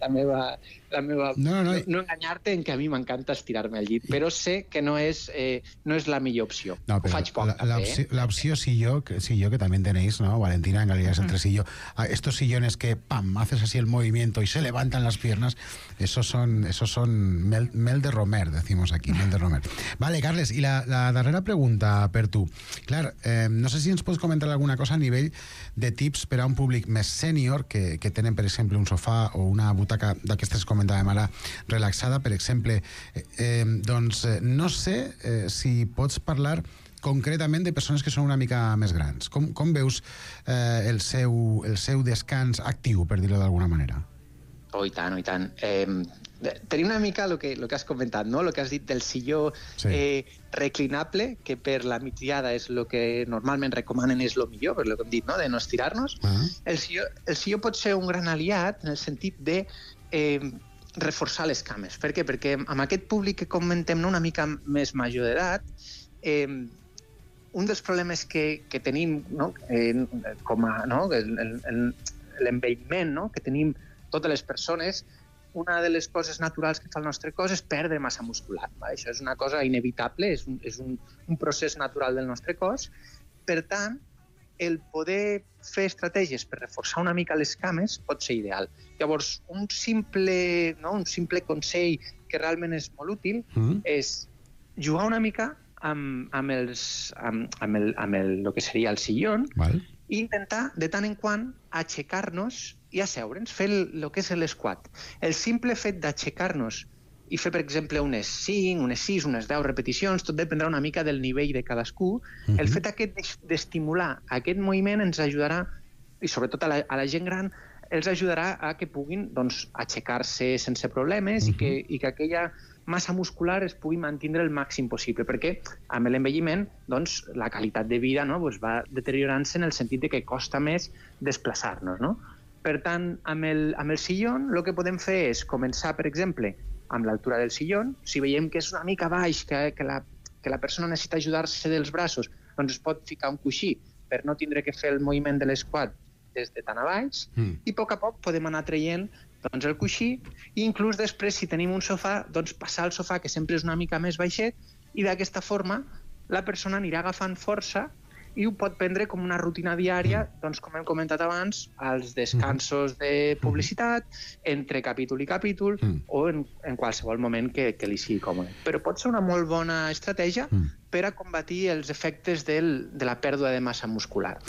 la meva... La meva no, no, no, no enganyar-te en que a mi m'encanta estirar-me al llit, però sé que no és, eh, no és la millor opció. No, Ho faig poc, la, també. L'opció, eh? l'opció silló, que, silló que también tenéis, ¿no? Valentina, en Galerías el Tresillo. Estos sillones que, pam, haces así el movimiento y se levantan las piernas, esos son, esos son mel, mel de Romer, decimos aquí, mel de Romer. Vale, Carles, i la, la darrera pregunta per tu. Clar, eh, no sé si ens pots comentar alguna cosa a nivell de tips per a un públic més sènior que, que tenen, per exemple, un sofà o una butaca d'aquestes que comentàvem ara relaxada, per exemple. Eh, eh, doncs eh, no sé eh, si pots parlar concretament de persones que són una mica més grans. Com, com veus eh, el, seu, el seu descans actiu, per dir-ho d'alguna manera? Oh, i tant, oh, i tant. Eh, tenim una mica el que, lo que has comentat, no? El que has dit del silló sí. eh, reclinable, que per la migdiada és el que normalment recomanen és el millor, per el que hem dit, no? De no estirar-nos. Uh-huh. el, silló, el silló pot ser un gran aliat en el sentit de eh, reforçar les cames. Per què? Perquè amb aquest públic que comentem, no, una mica més major d'edat, eh, un dels problemes que, que tenim, no, eh, com a, no, l'envelliment, no, que tenim totes les persones, una de les coses naturals que fa el nostre cos és perdre massa muscular. Va? Això és una cosa inevitable, és, un, és un, un procés natural del nostre cos. Per tant, el poder fer estratègies per reforçar una mica les cames pot ser ideal. Llavors, un simple, no, un simple consell que realment és molt útil mm. és jugar una mica amb, amb, els, amb, amb, el, amb el, el que seria el sillón Val. i intentar, de tant en quant, aixecar-nos i asseure'ns, fer el, el que és l'esquat. El simple fet d'aixecar-nos i fer, per exemple, unes cinc, unes sis, unes deu repeticions, tot dependrà una mica del nivell de cadascú. Uh-huh. El fet aquest d'estimular aquest moviment ens ajudarà, i sobretot a la, a la gent gran, els ajudarà a que puguin doncs, aixecar-se sense problemes uh-huh. i, que, i que aquella massa muscular es pugui mantenir el màxim possible, perquè amb l'envelliment doncs, la qualitat de vida no, doncs, va deteriorant-se en el sentit de que costa més desplaçar-nos. No? Per tant, amb el, amb el sillón el que podem fer és començar, per exemple, amb l'altura del sillón. Si veiem que és una mica baix, que, que, la, que la persona necessita ajudar-se dels braços, doncs es pot ficar un coixí per no tindre que fer el moviment de l'esquat des de tan a baix, mm. i a poc a poc podem anar traient doncs, el coixí, i inclús després, si tenim un sofà, doncs passar al sofà, que sempre és una mica més baixet, i d'aquesta forma la persona anirà agafant força i ho pot prendre com una rutina diària, doncs, com hem comentat abans, als descansos de publicitat, entre capítol i capítol, mm. o en, en qualsevol moment que, que li sigui còmode. Però pot ser una molt bona estratègia mm. per a combatir els efectes del, de la pèrdua de massa muscular.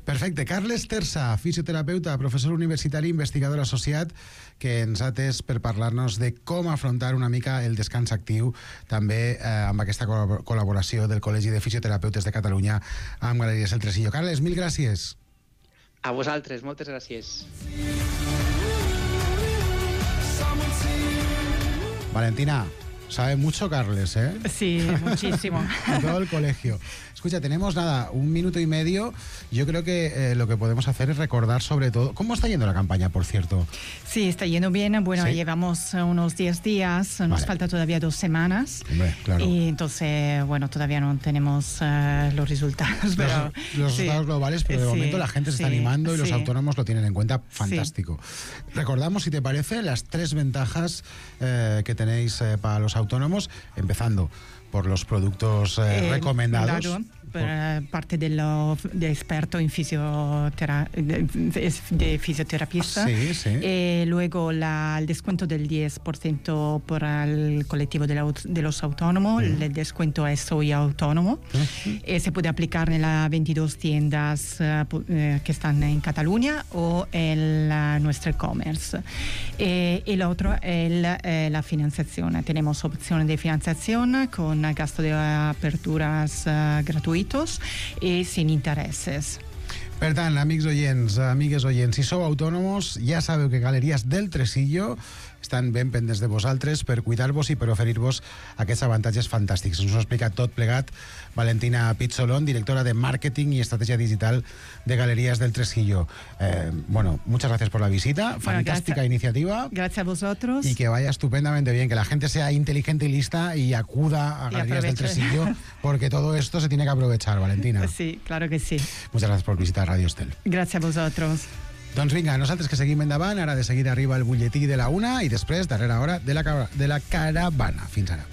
Perfecte. Carles Tersa, fisioterapeuta, professor universitari, investigador associat, que ens ha atès per parlar-nos de com afrontar una mica el descans actiu, també eh, amb aquesta col·laboració del Col·legi de Fisioterapeutes de Catalunya amb Galeries El Tresillo. Carles, mil gràcies. A vosaltres, moltes gràcies. Valentina, sabe mucho Carles, ¿eh? Sí, muchísimo. Todo el colegio. Escucha, tenemos nada, un minuto y medio. Yo creo que eh, lo que podemos hacer es recordar sobre todo... ¿Cómo está yendo la campaña, por cierto? Sí, está yendo bien. Bueno, ¿sí? Llevamos unos diez días. Nos vale. falta todavía dos semanas. Hombre, claro. Y entonces, bueno, todavía no tenemos uh, los resultados. Pero, los los sí. resultados globales, pero de sí, momento la gente se sí, está animando y sí. los autónomos lo tienen en cuenta. Fantástico. Sí. Recordamos, si te parece, las tres ventajas eh, que tenéis eh, para los autónomos, empezando por los productos eh, eh, recomendados. Claro, por, por parte de, lo, de experto en fisiotera, de, de fisioterapista. Sí, sí. Eh, luego la, el descuento del diez por ciento para el colectivo de, la, de los autónomos. Uh-huh. El descuento es Soy Autónomo. Uh-huh. Eh, se puede aplicar en las veintidós tiendas uh, que están en Cataluña o en la, nuestro e-commerce. Eh, y lo otro es eh, la financiación. Tenemos opciones de financiación con gasto de aperturas uh, gratuitos i sin intereses. Per tant, amics oients, amigues oients, si sou autònoms, ja sabeu que Galeries del Tresillo estan ben pendents de vosaltres per cuidar-vos i per oferir-vos aquests avantatges fantàstics. Ens ho ha explicat tot plegat Valentina Pizzolón, directora de Màrqueting i Estratègia Digital de Galerías del Tresillo. Eh, bueno, muchas gracias por la visita. Bueno, fantástica gracias, iniciativa. Gracias a vosotros. Y que vaya estupendamente bien, que la gente sea inteligente y lista y acuda a Galerías del Tresillo, porque todo esto se tiene que aprovechar, Valentina. Sí, claro que sí. Muchas gracias por visitar Radio Estel. Gracias a vosotros. Doncs vinga, nosaltres que seguim endavant, ara de seguida arriba el butlletí de la una i després, darrera hora, de la, de la caravana. Fins ara.